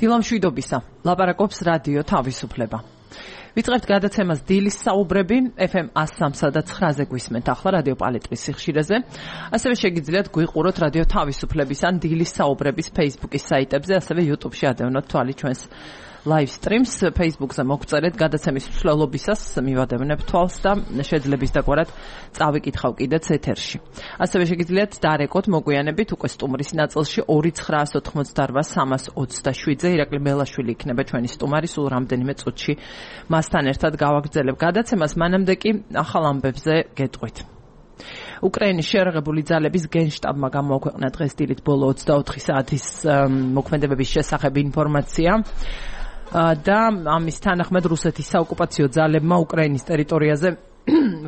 დილამშვიდობისა, ლაპარაკობს რადიო თავისუფლება. ვიწყებთ გადაცემას დილის საუბრები FM 103 და 9-ზე გვისმენთ ახლა რადიო პალეტრის სიხშირეზე. ასევე შეგიძლიათ გვიყუროთ რადიო თავისუფლების ან დილის საუბრების Facebook-ის საიტებზე, ასევე YouTube-ში ადევნოთ თვალი ჩვენს live streams. Facebook-ზე მოგწერეთ გადაცემის მსვლელობისას მივადევნებ თვალს და შეძლებს დაგვარად წავიკითხავ კიდეც ეთერში. ასევე შეგიძლიათ დარეკოთ მოგვიანებით უკვე სტუმრის ნაწილში 2988327-ზე ირაკლი მელაშვილი იქნება ჩვენი სტუმარი, სულ რამდენიმე წუთში მასთან ერთად გავაგრძელებ გადაცემას, მანამდე კი ახალ ამბებზე გეტყვით. უკრაინის შეერაღებული ძალების გენშტაბმა გამოაქვეყნა დღეს დილით ბოლო 24 საათის მოქმედებების შესახებ ინფორმაცია. და ამის თანახმად რუსეთის საოკუპაციო ძალებმა უკრაინის ტერიტორიაზე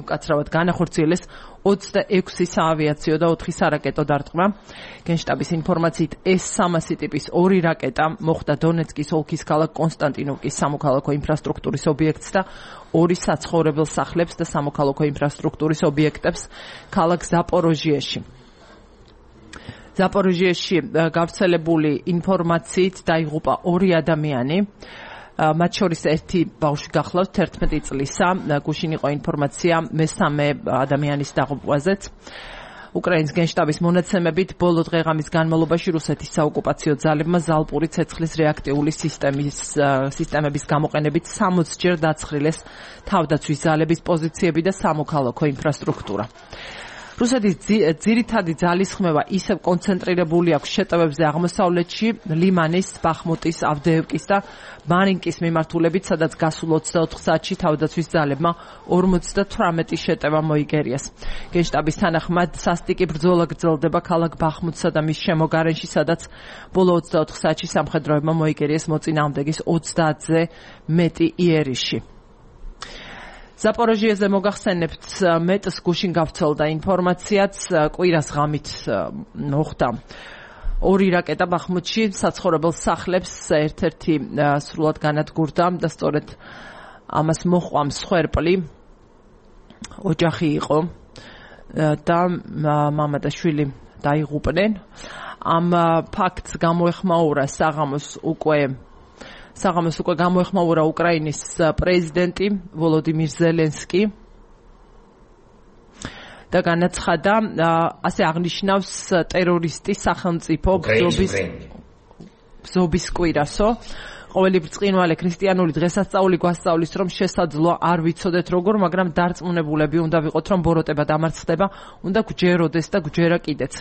უკაცრავად განახორციელეს 26 საავიაციო და 4 სარაკეტო დარტყმა. გენშტაბის ინფორმაციით S-300 ტიპის 2 რაკეტა მოხვდა დონეცკის ოლქის ქალაქ კონსტანტინოვკის სამოქალაქო ინფრასტრუქტურის ობიექტს და 2 საცხოვრებელ სახლებს და სამოქალაქო ინფრასტრუქტურის ობიექტებს ქალაქ ზაპოროჟიეში. ზაპოროჟიეში გავრცელებული ინფორმაციით დაიღუპა 2 ადამიანი, მათ შორის ერთი ბავშვი გახლავთ 11 წლისა. გუშინ იყო ინფორმაცია მესამე ადამიანის დაღუპვაზეც. უკრაინის გენშტაბის მონაცემებით ბოლო დღეღამის განმავლობაში რუსეთის საოკუპაციო ძალებმა ზალპური ცეცხლის რეაქტიული სისტემების გამოყენებით 60-ჯერ დაცხრილეს თავდაცვის ძალების პოზიციები და სამოქალაქო ინფრასტრუქტურა. რუსეთის ძირითადი ძალისხმევა ისევ კონცენტრირებული აქვს შეტევებზე აღმოსავლეთში, ლიმანის, ბახმუტის, ავდეევკის და მარინკის მიმართულებით, სადაც გასულ 24 საათში თავდაცვის ძალებმა 58 შეტევა მოიგერიეს. გენშტაბის თანახმად სასტიკი ბრძოლა გრძელდება ქალაქ ბახმუტსა და მის შემოგარენში, სადაც ბოლო 24 საათში სამხედროებმა მოიგერიეს მოწინააღმდეგის 30-ზე მეტი იერიში. ზაპოროჟიეზე მოგახსენებთ მეტს გუშინ გავრცელდა ინფორმაციაც, კვირას ღამით მოხდა 2 რაკეტა ბახმუტში საცხოვრებელ სახლებს ერთ-ერთი სრულად განადგურდა და სწორედ ამას მოჰყვა მსხვერპლი ოჯახი იყო და მამა და შვილი დაიღუპნენ. ამ ფაქტს გამოეხმაურა საღამოს უკვე გამოეხმაურა უკრაინის პრეზიდენტი ვოლოდიმირ ზელენსკი და განაცხადა, ასე აღნიშნავს ტერორისტის სახელმწიფო ბზობის კვირასო. ყოველი ბრწყინვალე ქრისტიანული დღესასწაული გვასწავლის, რომ შესაძლოა არ ვიცოდეთ როგორ, მაგრამ დარწმუნებულები უნდა ვიყოთ, რომ ბოროტება დამარცხდება, უნდა გვჯეროდეს და გვჯერა კიდეც.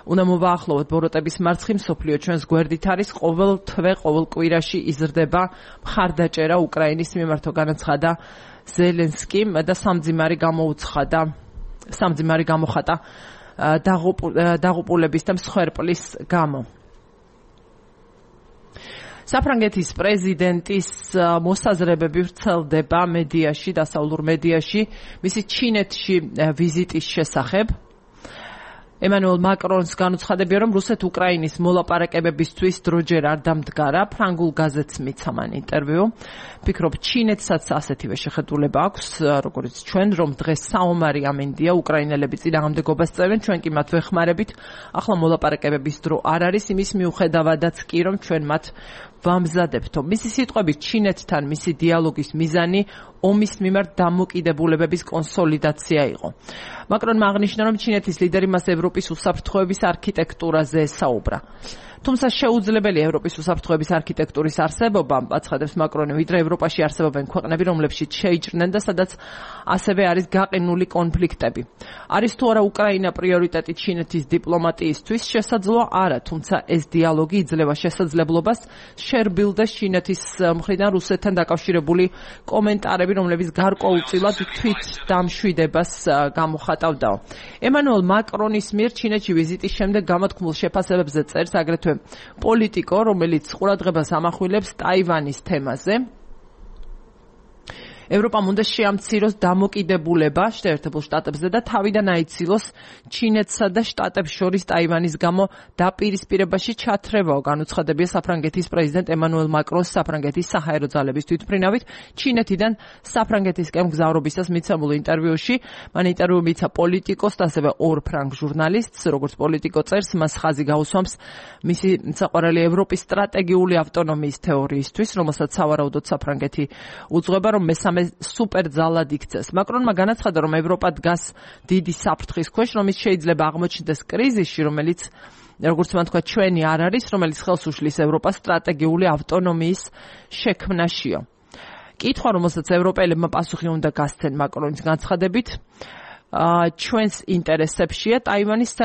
უნდა მოვაახლოვოთ ბოროტების მარცხი, მსოფლიო ჩვენს გვერდით არის, ყოველ თვე, ყოველ კვირაში იზრდება მხარდაჭერა უკრაინის მიმართო, განაცხადა ზელენსკიმ და სამძიმარი გამოხატა დაღუპულების და მსხვერპლის გამო. საფრანგეთის პრეზიდენტის მოსაზრებები ვრცელდება მედიაში, დასავლურ მედიაში, მისი ჩინეთში ვიზიტის შესახებ. ემანუელ მაკრონს განუცხადებია, რომ რუსეთ-უკრაინის მოლაპარაკებებისთვის დროჯერ არ დამდგარა. ფრანგულ გაზეთს მიცა მან ინტერვიუ. ფიქრობ, ჩინეთსაც ასეთივე შეხედულება აქვს, როგორც ჩვენ, რომ დღეს საომარი ამინდია, უკრაინელები წინააღმდეგობას წევენ, ჩვენ კი მათ ვეხმარებით. ახლა მოლაპარაკებების დრო არ არის, იმის მიუხედავადაც კი, რომ ჩვენ მათ ვამზადებთო. მისი სიტყვებით, ჩინეთთან მისი დიალოგის მიზანი ომის მიმართ დამოკიდებულებების კონსოლიდაცია იყო. მაკრონმა აღნიშნა, რომ ჩინეთის ლიდერი მას ევროპის უსაფრთხოების არქიტექტურაზე ესაუბრა. თუმცა შეუძლებელია ევროპის უსაფრთხოების არქიტექტურის არსებობა, აცხადებს მაკრონი, ვიდრე ევროპაში არსებობენ ქვეყნები, რომლებშიც შეიჭრნენ და სადაც ასევე არის გაყინული კონფლიქტები. არის თუ არა უკრაინა პრიორიტეტი ჩინეთის დიპლომატიისთვის? შესაძლოა არა, თუმცა ეს დიალოგი იძლევა შესაძლებლობას შერბილდეს ჩინეთის მხრიდან რუსეთთან დაკავშირებული კომენტარები, რომლებიც გარკვეულწილად თვით დამშვიდებას გამოხატავდაო. ემანუელ მაკრონის მიერ ჩინეთში ვიზიტის შემდეგ გამოთქმულ შეფასებებზე წერს აგრეთვე პოლიტიკო, რომელიც ყურადღებას ამახვილებს ტაივანის თემაზე. ევროპამ უნდა შეამციროს დამოკიდებულება შეერთებულ შტატებზე და თავიდან აიცილოს ჩინეთსა და შტატებს შორის ტაივანის გამო დაპირისპირებაში ჩათრევაო, განუცხადებია საფრანგეთის პრეზიდენტ ემანუელ მაკრონს საფრანგეთის საჰაერო ძალების თვითმფრინავით ჩინეთიდან საფრანგეთისკენ მგზავრობისას მიცემულ ინტერვიუში. მან ინტერვიუ მიცა პოლიტიკოს და ასევე ორ ფრანგ ჟურნალისტს, როგორც პოლიტიკო წერს, მას ხაზი გაუსვამს მისი საყვარელი ევროპის სტრატეგიული ავტონომიის თეორიისთვის, რომელსაც სავარაუდოდ საფრანგეთი უძღვება, რომ მესამე სუპერძალად იქცეს. მაკრონმა განაცხადა, რომ ევროპა დგას დიდი საფრთხის ქვეშ, რომ ის შეიძლება აღმოჩნდეს კრიზისში, რომელიც როგორც მან თქვა, ჩვენი არ არის, რომელიც ხელს უშლის ევროპას სტრატეგიული ავტონომიის შექმნაშიო. კითხვა, რომელსაც ევროპელებმა პასუხი უნდა გასცენ მაკრონის განცხადებით, ჩვენს ინტერესებშია ტაივანის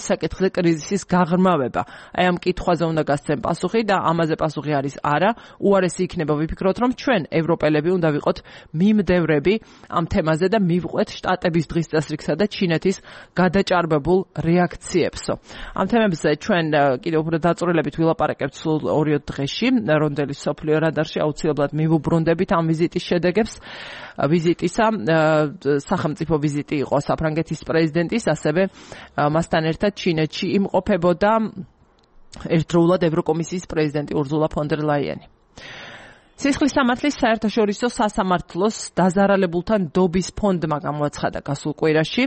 საკითხზე კრიზისის გაღრმავება. აი ამ კითხვაზე უნდა გასცენ პასუხი და ამაზე პასუხი არის არა. უარესი იქნება ვიფიქროთ, რომ ჩვენ ევროპელები უნდა ვიყოთ მიმდევრები ამ თემაზე და მივყვეთ შტატების დღის წესრიგსა და ჩინეთის გადაჭარბებულ რეაქციებსო. ამ თემებზე ჩვენ კიდევ უფრო დაწვრილებით ვილაპარაკებთ სულ 2 დღეში, რონდელის სოფლიო რადარში აუცილებლად მივუბრუნდებით ამ ვიზიტის შედეგებს. ვიზიტისა სახელმწიფო ვიზიტი იყო საფრანგეთის პრეზიდენტის, ასევე მასთან ერთად ჩინეთში იმყოფებოდა ერთდროულად ევროკომისიის პრეზიდენტი ურზულა ფონ დერ ლაიენი. სისხლის სამართლის საერთაშორისო სასამართლოს დაზარალებულთა ნდობის ფონდმა გამოაცხადა გასულ კვირაში,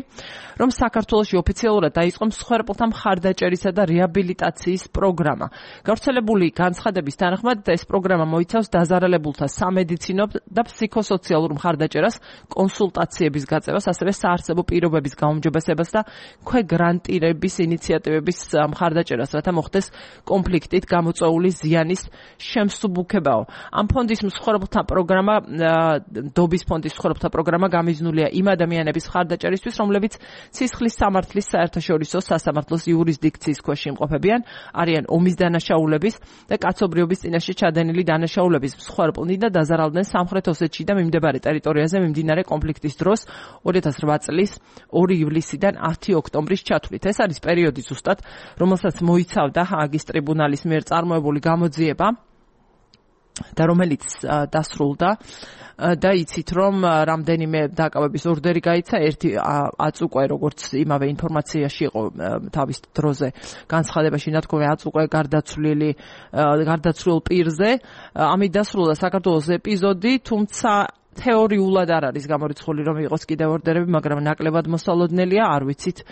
რომ საქართველოში ოფიციალურად დაიწყო მსხვერპლთა მხარდაჭერისა და რეაბილიტაციის პროგრამა. გავრცელებული განცხადების თანახმად ეს პროგრამა მოიცავს დაზარალებულთა სამედიცინო და ფსიქოსოციალურ მხარდაჭერას, კონსულტაციების გაწევას, ასევე საარსებო პირობების გაუმჯობესებას და ქვეგრანტირების ინიციატივების მხარდაჭერას, რათა მოხდეს კონფლიქტით გამოწვეული ზიანის შემსუბუქებაო. ამ ფონდის მსხვერპლთა პროგრამა, ნდობის ფონდის მსხვერპლთა პროგრამა გამიზნულია იმ ადამიანების მხარდაჭერისთვის, რომლებიც სისხლის სამართლის საერთაშორისო სასამართლოს იურისდიქციის ქვეშ იმყოფებიან, არიან ომის დანაშაულების და კაცობრიობის წინაშე ჩადენილი დანაშაულების მსხვერპლნი და დაზარალდნენ სამხრეთ ოსეთში და მიმდებარე ტერიტორიაზე მიმდინარე კონფლიქტის დროს 2008 წლის 2 ივლისიდან 10 ოქტომბრის ჩათვლით. ეს არის პერიოდი ზუსტად, რომელსაც მოიცავდა ჰააგის ტრიბუნალის მიერ წარმოებული გამოძიება და რომელიც დასრულდა და იცით, რომ რამდენიმე დაკავების ორდერი გაიცა, ერთი აწუყვე, როგორც იმავე ინფორმაციაში იყო თავის დროზე განცხადებაში ნათქვამი, აწუყვე გარდაცვლილ პირზე. ამით დასრულდა საქართველოს ეპიზოდი, თუმცა თეორიულად არ არის გამორიცხული, რომ იყოს კიდევ ორდერები, მაგრამ ნაკლებად მოსალოდნელია, არ ვიცით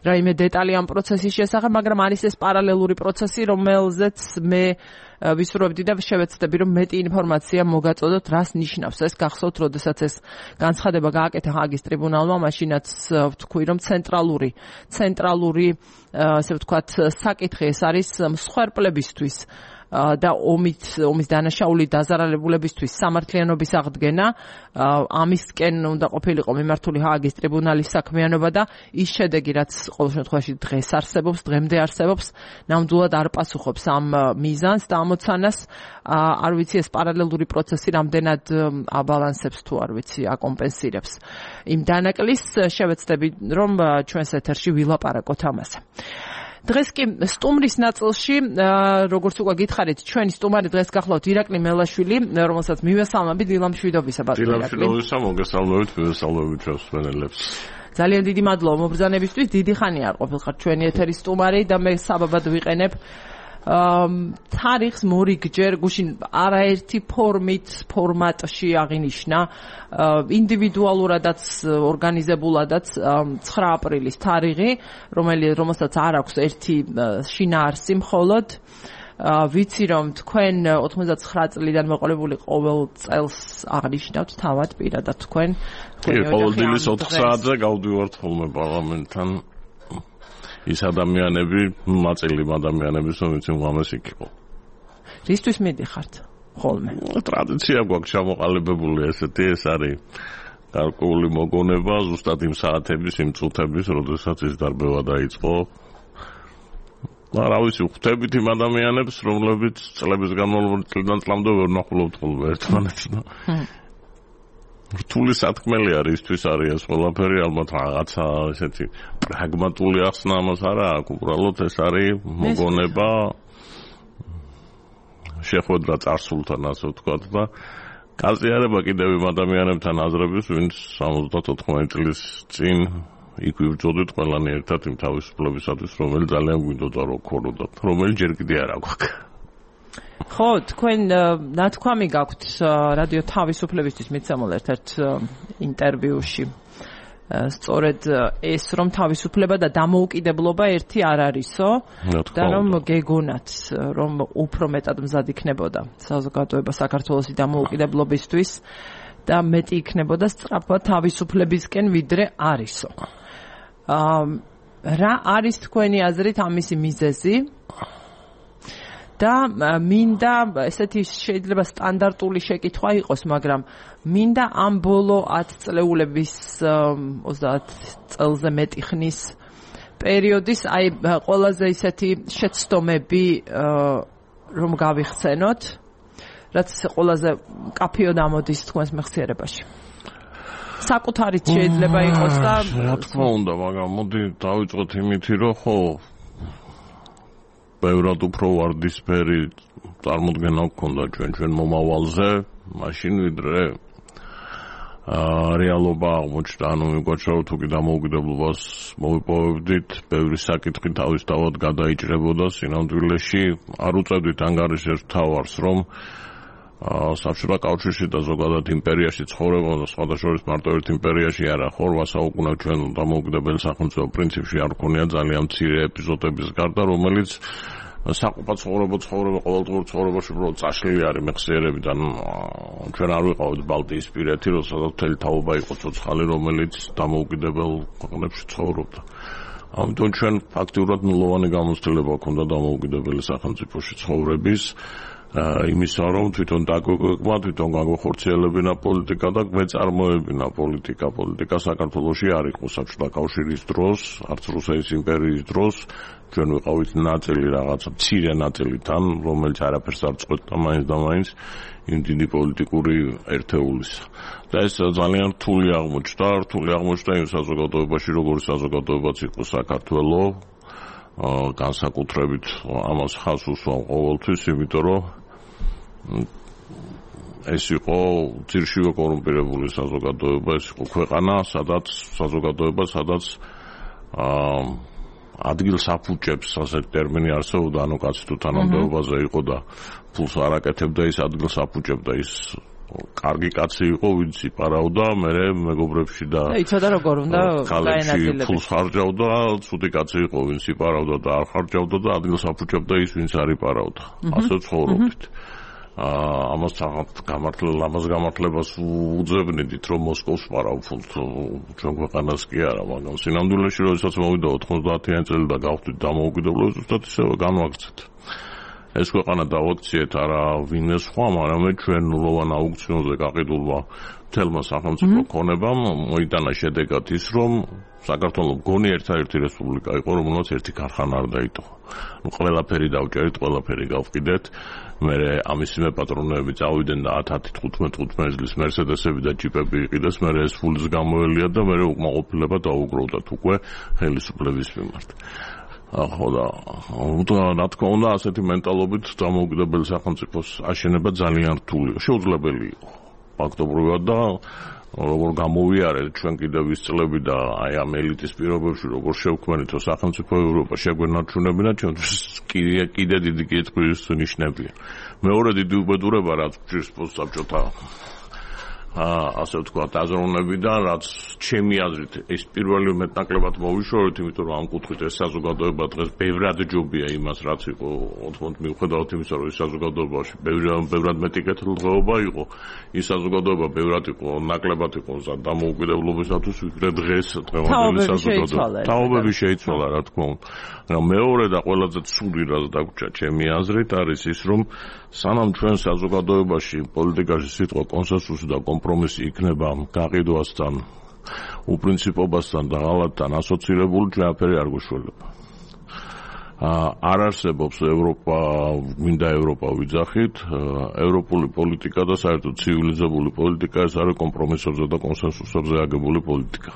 რაიმე დეტალი ამ პროცესის შესახებ, მაგრამ არის ეს პარალელური პროცესი, რომელზეც მე ვისურვებდი და შევეცდები, რომ მეტი ინფორმაცია მოგაწოდოთ, რას ნიშნავს ეს. გახსოვთ, როდესაც ეს განცხადება გააკეთა ჰააგის ტრიბუნალმა, მაშინაც ვთქვი, რომ ცენტრალური, ასე ვთქვათ, საკითხი ეს არის მსხვერპლებისთვის და ომის დანაშაული დაზარალებულებისთვის სამართლიანობის აღდგენა. ამისკენ უნდა ყოფილიყო მიმართული ჰააგის ტრიბუნალის საქმიანობა და ის შედეგი, რაც ყოველ შემთხვევაში დღეს არსებობს, დღემდე არსებობს, ნამდვილად არ პასუხობს ამ მიზანს და ამოცანას. არ ვიცი, ეს პარალელური პროცესი რამდენად აბალანსებს თუ არ ვიცი, აკომპენსირებს იმ დანაკლის. შევეცდები, რომ ჩვენს ეთერში ვილაპარაკოთ ამაზე. დღეს კი სტუმრის ნაწილში, როგორც უკვე გითხარით, ჩვენი სტუმარი დღეს გახლავთ ირაკლი მელაშვილი, რომელსაც მივესალმებით. დილამშვიდობისა, ბატონო ირაკლი. დილამშვიდობისა, მოგესალმებით, მივესალმებით ჩვენს მენელებს. ძალიან დიდი მადლობა მობრძანებისთვის. დიდი ხანია არ ყოფილიყარ ჩვენი ეთერის სტუმარი და მე საბაბად ვიყენებ თარიღს მორიგჯერ გუშინ არაერთი ფორმატში აღინიშნა ინდივიდუალურადაც ორგანიზებულადაც 9 აპრილის თარიღი, რომელსაც არ აქვს ერთი შინაარსი მხოლოდ. ვიცი, რომ თქვენ 99 წლიდან მოყოლებული ყოველ წელს აღნიშნავთ თავად პირადად თქვენ. ყოველ დილის 4 საათზე გავდივართ ხოლმე პარლამენტთან. ის ადამიანები, მაწილი ადამიანების, რომელიც უამეს იქ იყო. რისთვის მიდიხართ ხოლმე? ტრადიცია გვაქვს ჩამოყალიბებული ესეთი, ეს არის გარკვეული მოგონება, ზუსტად იმ საათების, იმ წუთების, როდესაც ის დარბევა დაიწყო. რა ვიცი, ხვდებით იმ ადამიანებს, რომლებიც წლების განმავლობაში წლიდან წლამდე ვერ ნახულობთ ხოლმე ერთმანეთს და რთული სათქმელი არის ისთვის არის ეს ყველაფერი, ალბათ რაღაცა ესეთი პრაგმატული ახსნა ამას არა აქვს, უბრალოდ ეს არის მოგონება შეხვედრა წარსულთან, ასე ვთქვათ და გაზიარება კიდევ იმ ადამიანებთან აზრების, ვინც 74 წლის წინ იქ ვიბრძოდით ყველანი ერთად იმ თავისუფლებისათვის, რომელიც ძალიან გვინდოდა რომ ქონოდათ, რომელიც ჯერ კიდე არ აქვს. ხო, თქვენ ნათქვამი გაქვთ რადიო თავისუფლებისთვის მიცემულ ერთ-ერთ ინტერვიუში. სწორედ ეს რომ თავისუფლება და დამოუკიდებლობა ერთი არ არისო და რომ გეგონათ რომ უფრო მეტად მზად იქნებოდა საზოგადოება საქართველოს დამოუკიდებლობისთვის და მეტი იქნებოდა სწრაფად თავისუფლებისკენ ვიდრე არისო. რა არის თქვენი აზრით ამისი მიზეზი? და მინდა ესეთი შეიძლება სტანდარტული შეკითხვა იყოს, მაგრამ მინდა ამ ბოლო 10 წლეულების 30 წელზე მეტი ხნის პერიოდის აი ყველაზე ისეთი შეცდომები რომ გავიხსენოთ, რაც ყველაზე კაფეოდ ამოდის თქვენს მეხსიერებაში. საკუთარით შეიძლება იყოს და რა თქმა უნდა, მაგრამ მოდი დავიწყოთ იმითი, რომ ხო ბევრად უფრო ვარდისფერი წარმოდგენა გქონდა ჩვენ მომავალზე, მაშინ ვიდრე რეალობა აღმოჩნდა, ანუ მიგვაჩვენა რომ თუ კი დამოუკიდებლობას მოვიპოვებდით, ბევრი საკითხი თავისთავად გადაიჭრებოდა სინამდვილეში, არ უწევდით ანგარიშებს თავარს, რომ საბჭოთა კავშირში და ზოგადად იმპერიაში ცხოვრებოდა, სხვადასხვა მარტო ერთ იმპერიაში არა, ხორვა საუკუნე ჩვენ დამოუკიდებელი სახელმწიფო პრინციპში არ ქონია ძალიან მცირე ეპიზოდების გარდა, რომელიც საყოფა ცხოვრება ყოველდღიურ ცხოვრებაში უბრალოდ წაშლილი არის მეხსიერებიდან. ჩვენ არ ვიყავით ბალტიისპირეთი, როდესაც მთელი თაობა იყო ცოცხალი, რომელიც დამოუკიდებელ ქვეყნებში ცხოვრობდა. ამიტომ ჩვენ ფაქტიურად ნულოვანი გამოცდილება ჰქონდა დამოუკიდებელი სახელმწიფოში ცხოვრების. იმისა, რომ თვითონ დაგვეკვირმა, თვითონ გაგვეხორციელებინა პოლიტიკა და გვეწარმოებინა პოლიტიკა. პოლიტიკა საქართველოში არ იყო საბჭოთა კავშირის დროს, არც რუსეთის იმპერიის დროს. ჩვენ ვიყავით ნაწილი რაღაცა მცირე ნაწილიდან, რომელიც არაფერს არ წყვეტდა მაინც და მაინც იმ დიდი პოლიტიკური ერთეულისა. და ეს ძალიან რთული აღმოჩნდა იმ საზოგადოებაში, როგორც საზოგადოებაც იყო საქართველო. განსაკუთრებით ამას ხაზს უსვამ ყოველთვის, იმიტომ რომ ეს იყო ძირშივე კორუმპირებული საზოგადოება, ეს იყო ქვეყანა, სადაც ადგილს აფუჭებს, ასეთი ტერმინი არსებობდა, ანუ კაცი თუ თანამდებობაზე იყო და ფულს არ აკეთებდა, ის ადგილს აფუჭებდა, ის კარგი კაცი იყო, ვინც იპარავდა, მერე მეგობრებში და იცოდა როგორ უნდა გაენაწილებინა. ფულს ხარჯავდა, ცუდი კაცი იყო, ვინც იპარავდა და არ ხარჯავდა და ადგილს აფუჭებდა ის, ვინც არ იპარავდა. ასე ცხოვრობდით. ამას გამართლებას უძებნით, რომ მოსკოვს პარავ ფულს, ჩვენ ქვეყანას კი არა, მაგრამ სინამდვილეში როდესაც მოვიდა 90-იანი წელი და გავხდით დამოუკიდებლობა, ზუსტად ისევე განვაგრძეთ. ეს ქვეყანა დავაქციეთ არა ვინმე სხვა, მაგრამ ჩვენ ნულოვან აუქციონზე გაყიდულმა მთელმა სახელმწიფო ქონებამ მოიტანა შედეგად ის, რომ საქართველოს მგონი ერთადერთი რესპუბლიკა იყო, რომელსაც ერთი ქარხანა არ დაიტოვა. ყველაფერი დავჭერით, ყველაფერი გავყიდეთ. მერე ამისი მეპატრონეები წავიდნენ და 10-15 წლის მერსედესები და ჯიპები იყიდეს, მერე ეს ფულის გამოელია და მერე უკმაყოფილება დაუგროვდათ უკვე ხელისუფლების მიმართ. ხო და რა თქმა უნდა ასეთი მენტალობით დამოუკიდებელი სახელმწიფოს აშენება ძალიან რთულია. შეუძლებელი იყო ფაქტობრივად და როგორ გამოვიარეთ ჩვენ კიდევ ვისწლები და აი ამ ელიტის პირობებში როგორ შევქმნით სახელმწიფო ევროპა შეგვენარჩუნებინა, ჩვენთვის კიდე დიდი კითხვის ნიშნებია. მეორე დიდი უბედურება რაც გვჭირს პოსტსაბჭოთა ასე ვთქვათ აზროვნებიდან, რაც ჩემი აზრით ეს პირველი მეტნაკლებად მოვიშორეთ, იმიტომ რომ ამ კუთხით ეს საზოგადოება დღეს ბევრად ჯობია იმას, რაც იყო 80 მიუხედავად იმისა, რომ ეს საზოგადოებაში ბევრად მეტი კეთილდღეობა იყო, ის საზოგადოება ბევრად იყო ნაკლებად იყო დამოუკიდებლობისათვის, ვიდრე დღევანდელი საზოგადოება. თაობები შეიცვალა, რა თქმა უნდა. მეორე და ყველაზე ცუდი რაც დაგვრჩა ჩემი აზრით არის ის, რომ სანამ ჩვენ საზოგადოებაში პოლიტიკაში სიტყვა კონსენსუსი და კომპრომისი იქნება გაყიდვასთან, უპრინციპობასთან და ღალატთან ასოცირებული, ჩვენაფერი არ გვეშველება. არ არსებობს ევროპა, მინდა ევროპა ვიძახით, ევროპული პოლიტიკა და საერთოდ ცივილიზებული პოლიტიკა ეს არის კომპრომისებზე და კონსენსუსებზე აგებული პოლიტიკა.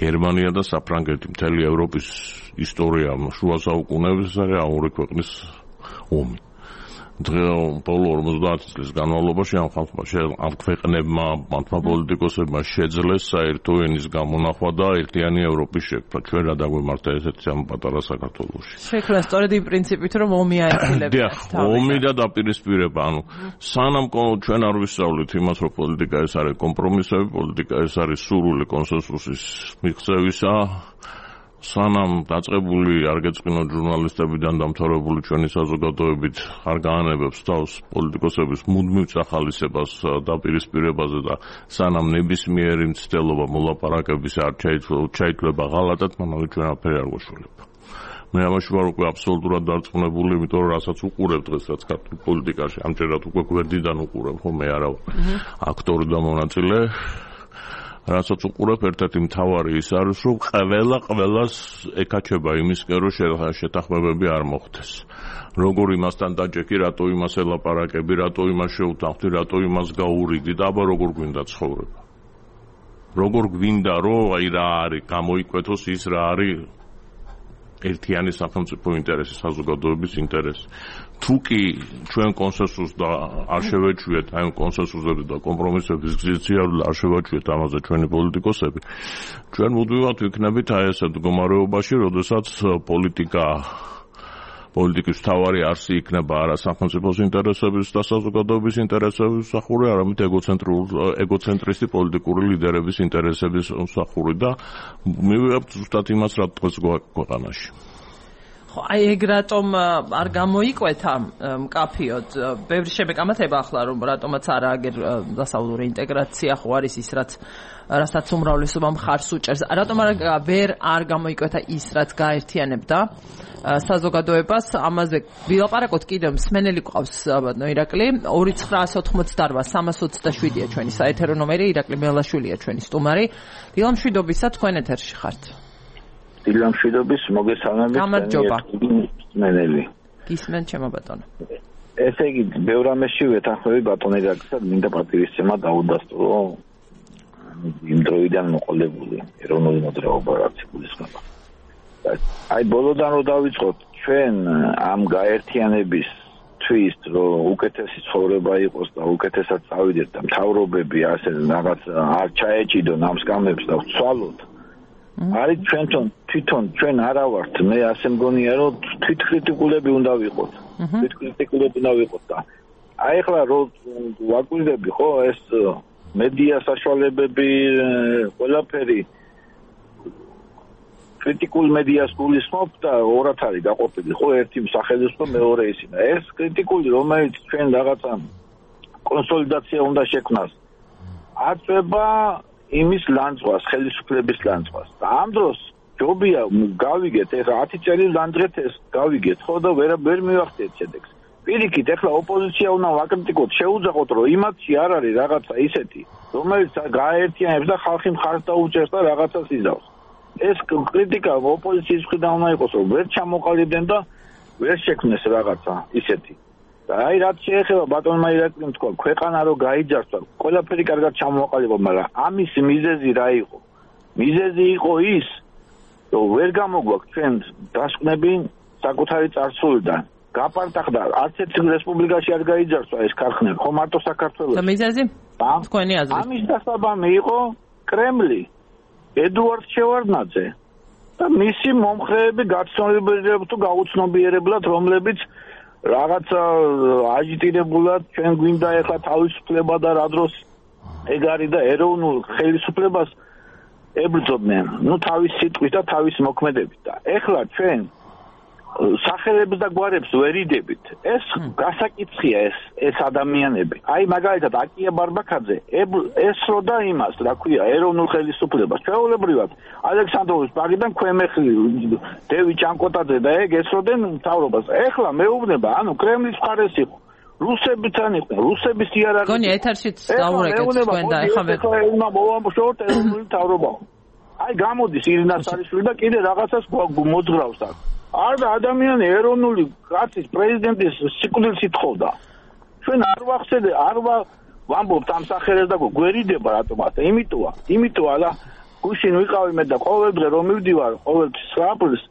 გერმანია და საფრანგეთი მთელი ევროპის ისტორია შუა საუკუნეების არის ამ ორი ქვეყნის ომი. ბოლო 50 წლის განმავლობაში ამ ქვეყნებმა, მათმა პოლიტიკოსებმა შეძლეს საერთო ენის გამონახვა და ერთიანი ევროპის შექმნა. ჩვენ რა დაგვემართა ესეთი ამ პატარა საქართველოში. შექმნა სწორედ იმ პრინციპით, რომ ომი აიხილება. ომი და დაპირისპირება, სანამ ჩვენ არ ვისწავლით იმას, რომ პოლიტიკა ეს არის კომპრომისები, პოლიტიკა ეს არის სურვილი კონსენსუსის მიღწევისა, სანამ დაწყებული არ გეწყინოთ ჟურნალისტებიდან დამთავრებული ჩვენი საზოგადოებით არ გაანებებს თავს პოლიტიკოსების მუდმივ წახალისებას დაპირისპირებაზე და სანამ ნებისმიერი მცდელობა მოლაპარაკების არ ჩაითვლება ღალატად, მანავე ჩვენ აფერი არ გვაშველება. მე ამაში ვარ უკვე აბსოლუტურად დარწმუნებული, იმიტომ რომ რასაც უყურებ დღეს, რაც ქართულ პოლიტიკაში, ამჯერად უკვე გვერდიდან უყურებ, ხო მე არა აქტორი და მონაწილე. რასაც უყურებ, ერთ-ერთი მთავარი ის არის, რომ ყველას ეკაჩება იმისკენ, რომ შეთანხმებები არ მოხდეს. როგორ იმასთან დაჯექი, რატო იმას ელაპარაკები, რატო იმას შეუთანხმდი, რატო იმას გაურიგდი და აბა როგორ გვინდა ცხოვრება. როგორ გვინდა, რომ აი რა არის, გამოიკვეთოს ის რა არის ერთიანი სახელმწიფო ინტერესი, საზოგადოების ინტერესი. თუ კი ჩვენ კონსენსუსს და არ შევეჩვიეთ აი კონსენსუსების და კომპრომისების გზით არ შევაჩვიეთ ამაზე ჩვენი პოლიტიკოსები, ჩვენ მუდმივად ვიქნებით აი ესეთ მდგომარეობაში, როდესაც პოლიტიკის მთავარი არსი იქნება არა სახელმწიფოს ინტერესების და საზოგადოების ინტერესების მსახური, არამედ ეგოცენტრისტი პოლიტიკური ლიდერების ინტერესების მსახური და მივიღებთ ზუსტად იმას, რა დღეს ქვეყანაში. ხო, აი ეგ რატომ არ გამოიკვეთა მკაფიოდ? ბევრი შეგამათება ახლა, რომ რატომაც არა აგერ დასავლური ინტეგრაცია ხო არის ის, რასაც უმრავლესობა მხარს უჭერს. რატომ არ გამოიკვეთა ის, რაც გაერთიანებდა საზოგადოებას? ამაზე ვილაპარაკოთ კიდევ, მსმენელი გვყავს ბატონო ირაკლი. 2928327-ია ჩვენი საეთერო ნომერი, ირაკლი მელაშვილია ჩვენი სტუმარი. დილამშვიდობისა, თქვენ ეთერში ხართ. დილამშვიდობის, მოგესალმებით. გამარჯობა. მსმენელი. გისმენ ჩემო ბატონო. ესე იგი, ბევრ ამაში ვეთანხმები ბატონ ირაკლისა, მინდა პატივისცემა დაუდასტურო იმ დროიდან მოყოლებული ეროვნული მოძრაობა რაც იგულისხმება. აი ბოლოდან რო დავიწყოთ, ჩვენ ამ გაერთიანების თვის, რომ უკეთესი ცხოვრება იყოს და უკეთესად წავიდეთ და მთავრობები ასე რაღაც არ ჩაეჭიდონ ამ სკამებს და ვცვალოთ. არის თვითონ ჩვენ არა ვართ, მე ასე მგონია, რომ თვითკრიტიკულები უნდა ვიყოთ. თვითკრიტიკულები უნდა ვიყოთ და აი ახლა რო ვაკვირდები ხო ეს მედია საშუალებები ყველაფერი კრიტიკულ მედიას გულისხმობ და ორად არის გაყოფილი ხო ერთი სახელმწიფო მეორე ისინა. ეს კრიტიკული რომელიც ჩვენ რაღაცა კონსოლიდაცია უნდა შექმნას აწება იმის ლანძღვას, ხელისუფლების ლანძღვას. და ამ დროს ჯობია გავიგეთ, ეხლა 10 წელი ლანძღეთ ეს გავიგეთ, ხო და ვერ მივახდეთ შედეგს. პირიქით, ეხლა ოპოზიცია უნდა ვაკრიტიკოთ, შეუძახოთ, რომ იმათში არ არის რაღაცა ისეთი, რომელიც გააერთიანებს და ხალხი მხარს დაუჭერს და რაღაცას იზავს. ეს კრიტიკა ოპოზიციის მხრიდან უნდა იყოს, რომ ვერ ჩამოყალიბდნენ და ვერ შექმნეს რაღაცა ისეთი. და აი რაც შეეხება ბატონმა ირაკლიმ თქვა, ქვეყანა რო გაიჯარსა, ყველაფერი კარგად ჩამოყალიბა, მაგრამ ამის მიზეზი რა იყო? მიზეზი იყო ის, რომ ვერ გამოგვაქვს ჩვენ დასკვნები საკუთარი წარსულიდან. გაპარტახდა არც ერთ რესპუბლიკაში არ გაიჯარსა ეს ქარხნები, ხო მარტო საქართველოში. და მიზეზი? თქვენი აზრით. ამის დასაბამი იყო კრემლი, ედუარდ შევარდნაძე და მისი მომხრეები გაცნობიერებლად თუ გაუცნობიერებლად, რომლებიც რაღაცა აჟიტირებულად ჩვენ გვინდა ეხლა თავისუფლება და რა დროს ეგ არის და ეროვნულ ხელისუფლებას ებრძოდნენ, თავის სიტყვით და თავის მოქმედებით და ეხლა ჩვენ სახელებს და გვარებს ვერ იდებით. ეს გასაკითხია ეს ადამიანები. აი მაგალითად აკია ბარბაკაძე ესროდა იმას, რა ქვია, ეროვნულ ხელისუფლებას. ჩვეულებრივად ალექსანდროვის ბაგიდან ქვემეხლი დევი ჭანკოტაძე და ეგ ესროდნენ მთავრობას. ეხლა მეუბნება, კრემლის მხარეს იყო. რუსებთან იყო, რუსების იარაღი. გონია ეთერშიც დავურეკეთ თქვენ და ეხლა უნდა მოვამბობთ ეროვნული მთავრობა. აი გამოდის ირინა სარიშვილი და კიდე რაღაცას მოძღრავს აქ. არა ადამიანი ეროვნული კაცის პრეზიდენტის სიკვდილს ითხოვდა. ჩვენ არ ვახსენე, არ ვამბობთ ამ სახელებს და გვერიდება რატომაც. იმიტომ ალა გუშინ ვიყავი მე და ყოველდღე რომ მივდივარ ყოველ 9 აპრილს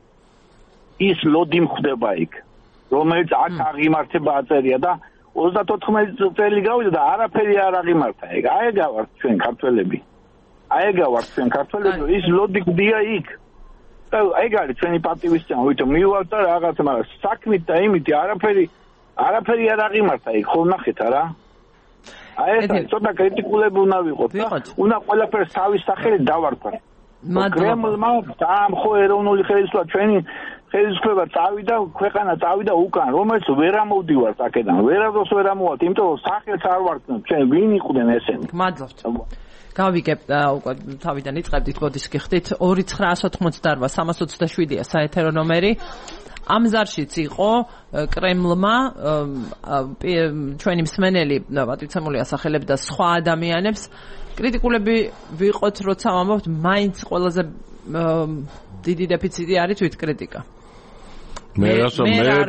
ის ლოდი მხდება იქ. რომელიც აქ აღიმართება აწერია და 34 წელი გავიდა და არაფერი არ აღიმართა. აეგავართ ჩვენ ქართველები. ის ლოდიკდია იქ. და ეგ არის ჩვენი პატივისცემა, ვითომ მივალთ და რაღაც, მაგრამ საქმით და იმითი არაფერი არ აღიმართა იქ, ხო ნახეთ არა? ეს ცოტა კრიტიკულები უნდა ვიყოთ და უნდა ყველაფერს თავის სახელით დავარქვათ. კრემლმა დაამხო ეროვნული ხელისუფლება, ჩვენი ხელისუფლება წავიდა, ქვეყანა წავიდა უკან, რომელიც ვერ ამოვდივართ აქედან, ვერადოს ვერ ამოვალთ, იმიტომ რომ სახელს არ ვარქმევთ, ჩვენ ვინ იყვნენ ესენი. მადლობთ. გავიგებ უკვე თავიდან იწყებდით, ბოდის გიხდით 2988327-ია საეთერო ნომერი. ამ ზარშიც იყო კრემლმა ჩვენი მსმენელი პატივცემული ასახელებდა სხვა ადამიანებს. კრიტიკულები ვიყოთ, როცა ვამბობთ, მაინც ყველაზე დიდი დეფიციტი არის თვითკრიტიკა. მე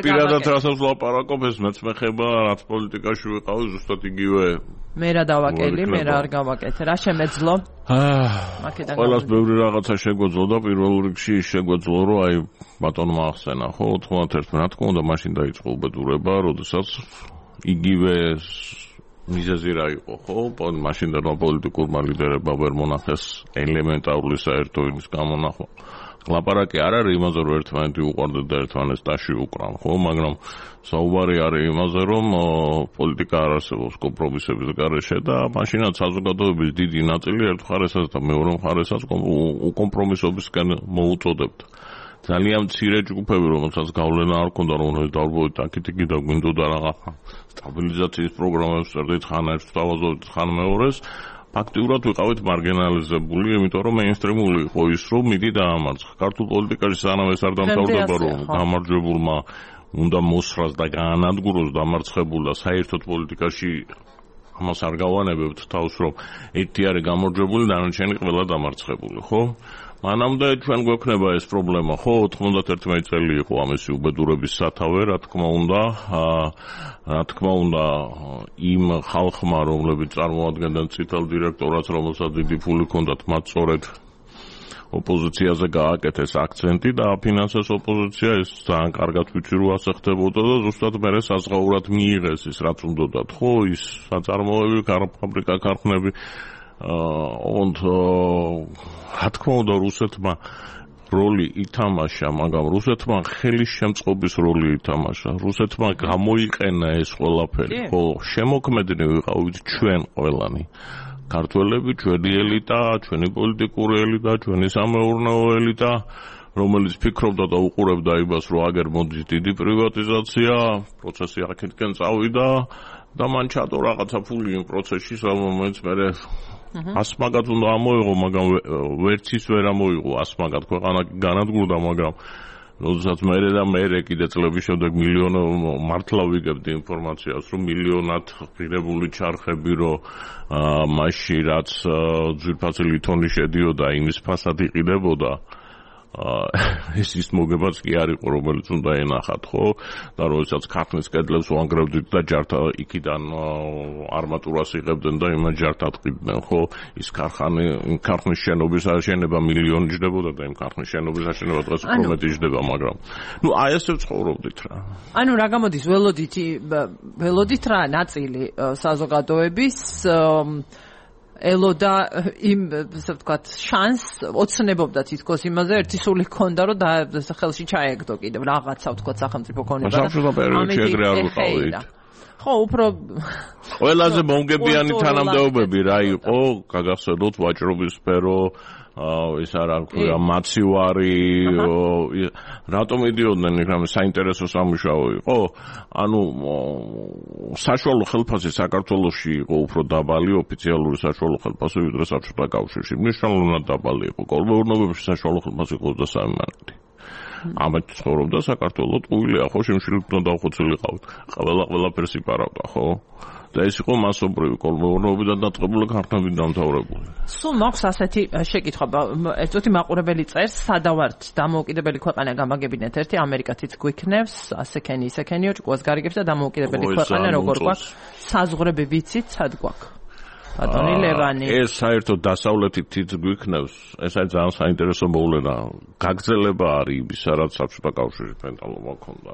პირადად რასაც ვლაპარაკობ, ეს მეც მეხება, რაც პოლიტიკაში ვიყავი, ზუსტად იგივე. მე რა დავაკელი, მე რა არ გავაკეთე, რა შემეძლო? ყველას ბევრი რაღაცა შეგვეძლო და პირველ რიგში შეგვეძლო, რომ აი ბატონმა ახსენა, ხო, 91 რა თქმა უნდა, მაშინ დაიწყო უბედურება, როდესაც იგივე მიზეზი რა იყო, ხო? მაშინდელმა პოლიტიკურმა ლიდერებმა ვერ მონახეს ელემენტარული საერთო ენის გამონახვა. ლაპარაკი არ არის იმაზე, რომ ერთმანეთი უყვარდეთ და ერთმანეთს ტაში უკრან, ხო? მაგრამ საუბარი არის იმაზე, რომ პოლიტიკა არ არსებობს კომპრომისების გარეშე და მაშინაც საზოგადოების დიდი ნაწილი ერთ მხარესაც და მეორე მხარესაც უკომპრომისობისკენ მოუწოდებდა. ძალიან მცირე ჯგუფები, რომელსაც გავლენა არ ჰქონდა, რომელსაც დავრბოვით აქეთ-იქით და გვინდოდა რაღაცა სტაბილიზაციის პროგრამებს წერდით ხან ერთს თავაზობთ, ხან მეორეს. ფაქტიურად ვიყავით მარგინალიზებული, იმიტომ რომ მეინსტრიმული იყო ის, რომ მიდი დაამარცხა. ქართულ პოლიტიკაში სანამ ეს არ დამთავრდება, რომ გამარჯვებულმა უნდა მოსრას და გაანადგუროს დამარცხებულ და საერთოდ პოლიტიკაში ამას არ გავანებებთ თავს, რომ ერთი არის გამარჯვებული, დანარჩენი ყველა დამარცხებული, ხო? მანამდე ჩვენ გვექნება ეს პრობლემა, ხო? 91 წელი იყო ამისი უბედურების სათავე, რა თქმა უნდა, იმ ხალხმა, რომლებიც წარმოადგენდნენ წითელ დირექტორატს, რომელსაც დიდი ფული ჰქონდათ, მათ სწორედ ოპოზიციაზე გააკეთეს აქცენტი და აფინანსეს ოპოზიცია, ეს ძალიან კარგად ვიცი, რომ ასე ხდებოდა და ზუსტად მერე საზღაურად მიიღეს ის, რაც უნდათ, ხო? ის საწარმოები, ფაბრიკა, ქარხნები რა თქმა უნდა რუსეთმა როლი ითამაშა, მაგრამ რუსეთმა ხელის შემწყობის როლი ითამაშა. რუსეთმა გამოიყენა ეს ყველაფერი, ხო, შემოქმედნი ვიყავით ჩვენ ყველანი. ქართველები, ჩვენი ელიტა, ჩვენი პოლიტიკური ელიტა, ჩვენი სამეურნეო ელიტა, რომელიც ფიქრობდა და უყურებდა იმას, რომ აგერ მოდის დიდი პრივატიზაცია, პროცესი აქეთკენ წავიდა და მან ჩადო რაღაცა ფული იმ პროცესში, რომელიც მერე ასმაგად უნდა ამოიღო, მაგრამ ვერც ის ვერ ამოიღო ასმაგად, ქვეყანა განადგურდა, მაგრამ როდესაც მერე კიდე წლების შემდეგ მართლა ვიგებდი ინფორმაციას, რომ მილიონად ღირებული ჩარხები, რომ მასში რაც ძვირფასი ლითონი შედიოდა, იმის ფასად იყიდებოდა, ეს ის მოგებაც კი არ იყო, რომელიც უნდა ენახათ, ხო? და როდესაც ქარხნის კედლებს ვანგრევდით და ჯართა იქიდან არმატურას იღებდნენ და იმას ჯართად ყიდნენ, ხო? ის ქარხნის შენობის აშენება მილიონი ჯდებოდა და იმ ქარხნის შენობის აშენება დღეს უფრო მეტი ჯდება, მაგრამ აი ესე ვცხოვრობდით რა. ანუ რა გამოდის, ველოდით რა ნაწილი საზოგადოების ელოდა იმ, ასე ვთქვათ, შანს ოცნებობდა თითქოს იმაზე, ერთი სული ჰქონდა, რომ ხელში ჩაეგდო კიდევ რაღაცა, ვთქვათ, სახელმწიფო ქონება. საბჭოთა პერიოდში ეგრე არ ვიყავით. ხო, უფრო ყველაზე მომგებიანი თანამდებობები რა იყო, გაგახსენოთ ვაჭრობის სფერო, ის არა ქვია მაცივარი, რატომ იდიოდნენ იქ საინტერესო სამუშაო იყო? ანუ საშუალო ხელფასი საქართველოში იყო უფრო დაბალი, ოფიციალური საშუალო ხელფასი ვიდრე საბჭოთა კავშირში. მნიშვნელოვნად დაბალი იყო. კოლმეურნეობებში საშუალო ხელფასი იყო 23 მანეთი. ამით ცხოვრობდა საქართველო, ტყუილია, ხო, შემშილით უნდა დავხოცილიყავთ. ყველაფერს იპარავდა, ხო? და ეს იყო მასობრივი კოლმეურნეობიდან დაწყებული ქარხნებით დამთავრებული. სულ მაქვს ასეთი შეკითხვა, ერთოთი მაყურებელი წერს, სადავართ დამოუკიდებელი ქვეყანა გამაგებინეთ ერთი, ამერიკათიც გვიქნევს, ასექენი ისექენიო, ჭკუას გარიგებს და დამოუკიდებელი ქვეყანა როგორ გვაქვს, საზღვრები ვიცით, სად გვაქვს? ბატონი ლევანი. ეს საერთოდ დასავლეთით გვიქნევს, ეს არის ძალიან საინტერესო მოვლენა. გაგრძელება არის იმისა, რაც საბჭოთა კავშირის პენტალობა ქონდა.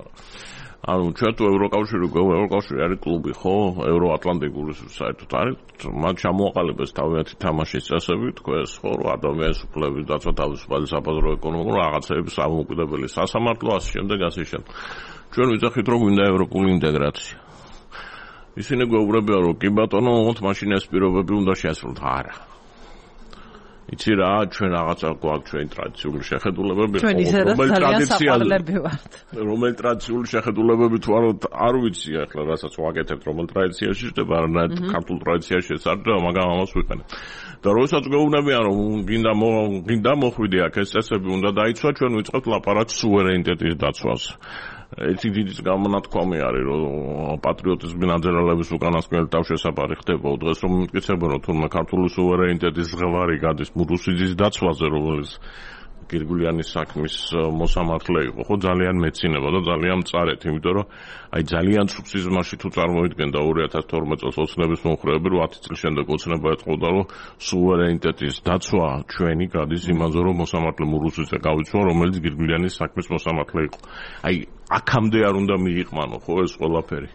ანუ ჩვენ თუ ევროკავშირი არის კლუბი, ხო? ევროატლანტიკური საერთოდ არის, მათ ჩამოაყალიბეს თავიანთი თამაშის წესები, თქვენს ხო, ადამიანის უფლებების დაცვა, თავისუფალი საბაზრო ეკონომიკა, რაღაცების ამოუკიდებელი სასამართლო, ასე შემდეგ. ჩვენ ვიძახით, რომ გვინდა ევროპული ინტეგრაცია. ისინი გვეუბნებიან, რომ კი ბატონო, მოხოთ მაშინ ეს პირობები უნდა შეასრულოთ. არა. იცი რა, ჩვენ რაღაცა გვაქვს ჩვენი ტრადიციული შეხედულებები, რომელი ტრადიციული შეხედულებები თუ არ ვიცი ახლა, რასაც ვაკეთებთ, რომელ ტრადიციაში ხდება, არანაირ ქართულ ტრადიციაში ეს არ ხდება, მაგრამ ამას ვიყენებ. და როდესაც გვეუბნებიან, რომ გინდა მოხვიდე აქ ეს წესები უნდა დაიცვა, ჩვენ ვიწყებთ ლაპარაკს სუვერენიტეტის დაცვაზე. ერთი დიდი გამონათქვამი არის, რომ პატრიოტიზმის ნაძრალების უკანასკნელი თავშესაფარი ხდება დღეს, რომ მტკიცებენ, რომ თურმე ქართული სუვერენიტეტის ზღვარი გადის რუსეთის დაცვაზე, რომელიც გირგულიანის საქმის მოსამართლე იყო, ხო ძალიან მეცინება და ძალიან მწარეთ, იმიტომ რომ აი ძალიან ცუდ სიზმარში თუ წარმოიდგენდა 2012 წელს ოცნების მომხრეები, 10 წლის შემდეგ ოცნება ეთყოდა, რომ სუვერენიტეტის დაცვა ჩვენი გადის იმაზე, რომ მოსამართლე რუსეთზე გავიცვალო, რომელიც გირგულიანის საქმის მოსამართლე იყო. აი აქამდე არ უნდა მიიყვანო ხო ეს ყველაფერი.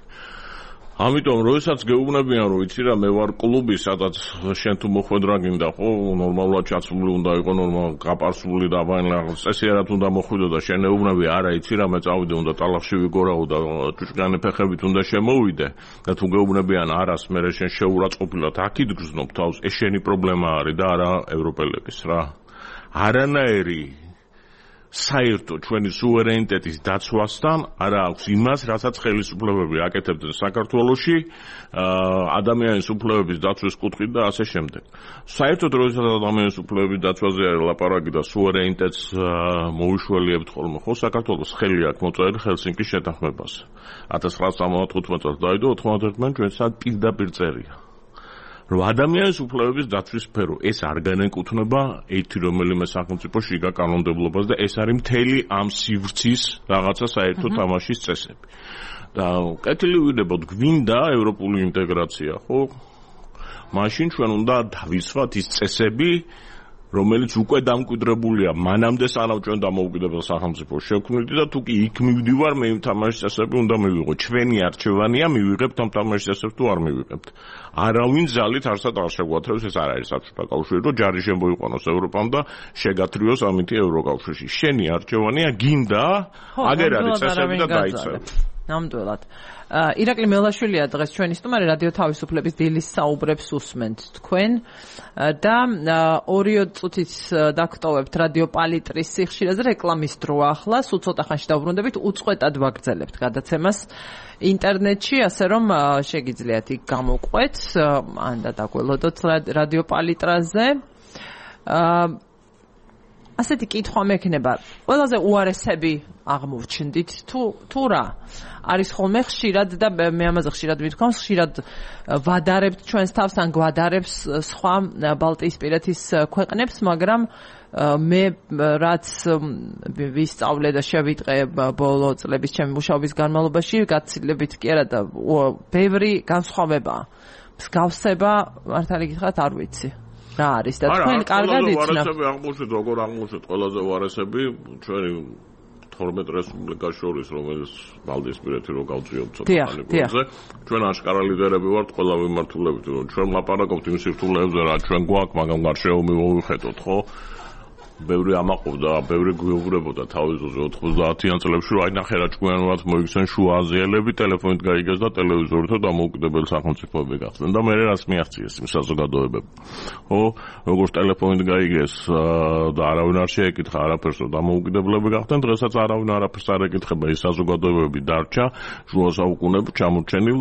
ამიტომ როდესაც გეუბნებიან, რომ იცი რა, მე ვარ კლუბი, სადაც შენ თუ მოხვედრა გინდა, ხო, ნორმალურად ჩაცმული უნდა იყო, ნორმალურად გაპარსული და რაღაც წესიერად უნდა მოხვიდო და შენ ეუბნები, არა, იცი რა, მე წავიდე, უნდა ტალახში ვიგორაო და ჭუჭკანი ფეხებით უნდა შემოვიდე და თუ გეუბნებიან არას, მე შენ შეურაცხყოფილად აქ იდგზნობ თავს, ეს შენი პრობლემა არის და არა ევროპელების რა. არანაირი საერთო ჩვენი სუვერენიტეტის დაცვასთან არა აქვს იმას, რასაც ხელისუფლებები აკეთებდნენ საქართველოში, ადამიანის უფლებების დაცვის კუთხით და ასე შემდეგ. საერთოდ როდესაც ადამიანის უფლებების დაცვაზე არის ლაპარაკი და სუვერენიტეტს მოუშველიებთ ხოლმე, ხო, საქართველოს ხელი აქვს მოწერილი ჰელსინკის შეთანხმებაზე. 1995 წელს დაიდო 91 ჩვენ სად პირდაპირ წერია. რომ ადამიანის უფლებების დაცვის სფერო ეს არ განეკუთვნება ერთი რომელიმე სახელმწიფო შიგა კანონმდებლობას და ეს არის მთელი ამ სივრცის რაღაცა საერთო თამაშის წესები. და კეთილი ვიდებოდ გვინდა ევროპული ინტეგრაცია, ხო? მაშინ ჩვენ უნდა დავიცვათ ის წესები, რომელიც უკვე დამკვიდრებულია მანამდე სანამ ჩვენ დამოუკიდებელ სახელმწიფოს შევქმნით და თუ კი იქ მივდივარ მე იმ თამაშის წესები უნდა მივიღო. ჩვენი არჩევანია მივიღებთ ამ თამაშის წესებს თუ არ მივიღებთ. არავინ ძალით არსად არ შეგვათრევს, ეს არ არის საბჭოთა კავშირი, რომ ჯარი შემოიყვანოს ევროპამ და შეგათრიოს ამითი ევროკავშირში. შენი არჩევანია გინდა აგერ არის წესები და დაიცავ. ნამდვილად. ირაკლი მელაშვილია დღეს ჩვენი სტუმარი, რადიო თავისუფლების დილის საუბრებს უსმენთ თქვენ და 2 წუთით დაგტოვებთ რადიო პალიტრის სიხშირეზე რეკლამის დროა ახლა, სულ ცოტა ხანში დავბრუნდებით, უწყვეტად ვაგრძელებთ გადაცემას ინტერნეტში, ასე რომ შეგიძლიათ იქ გამოყვეთ, ან და დაგველოდოთ რადიო პალიტრაზე. ასეთი კითხვა მექნება, ყველაზე უარესები აღმოჩნდით თუ რა? არის ხოლმე ხშირად და მე ამაზე ხშირად მithქვამს, ხშირად ვადარებთ ჩვენს თავს ან გვადარებს სხვა ბალტიისპირეთის ქვეყნებს, მაგრამ მე რაც ვისწავლე და შევიტყე ბოლო წლების ჩემი მუშაობის განმავლობაში, გაცილებით კი არა და ბევრი განსხვავებაა. მსგავსება მართალი გითხრათ არ ვიცი. რა არის და თქვენ კარგად იცნობთ. უარესები აღმოჩნდით, როგორ აღმოჩნდით ყველაზე უარესები ჩვენი 12 რესპუბლიკას შორის, რომელიც ბალტიისპირეთი რო გავწიოთ ცოტა ხანი გვერდზე. ჩვენ აშკარა ლიდერები ვართ ყველა მიმართულებით, რომ ჩვენ ლაპარაკობთ იმ სირთულეებზე, რა ჩვენ გვაქვს, მაგრამ გარშემო მოვიხედოთ, ხო? ბევრი ამაყობდა, ბევრი გვეუბნებოდა თავის ძროზე 90-იან წლებში, რომ აი ნახე რა ჭკვიანურად მოიქცენ შუა აზიელები, ტელეფონით გაიგეს და ტელევიზორით დამოუკიდებელი სახელმწიფოები გახდნენ და მე რაც მიაღწიეს იმ საზოგადოებებს. ხო, როგორც ტელეფონით გაიგეს და არავინ არ შეეკითხა არაფერს, რომ დამოუკიდებლები გახდნენ, დღესაც არავინ არაფერს არ ეკითხება, ის საზოგადოებები დარჩა შუა საუკუნეებში ჩამორჩენილ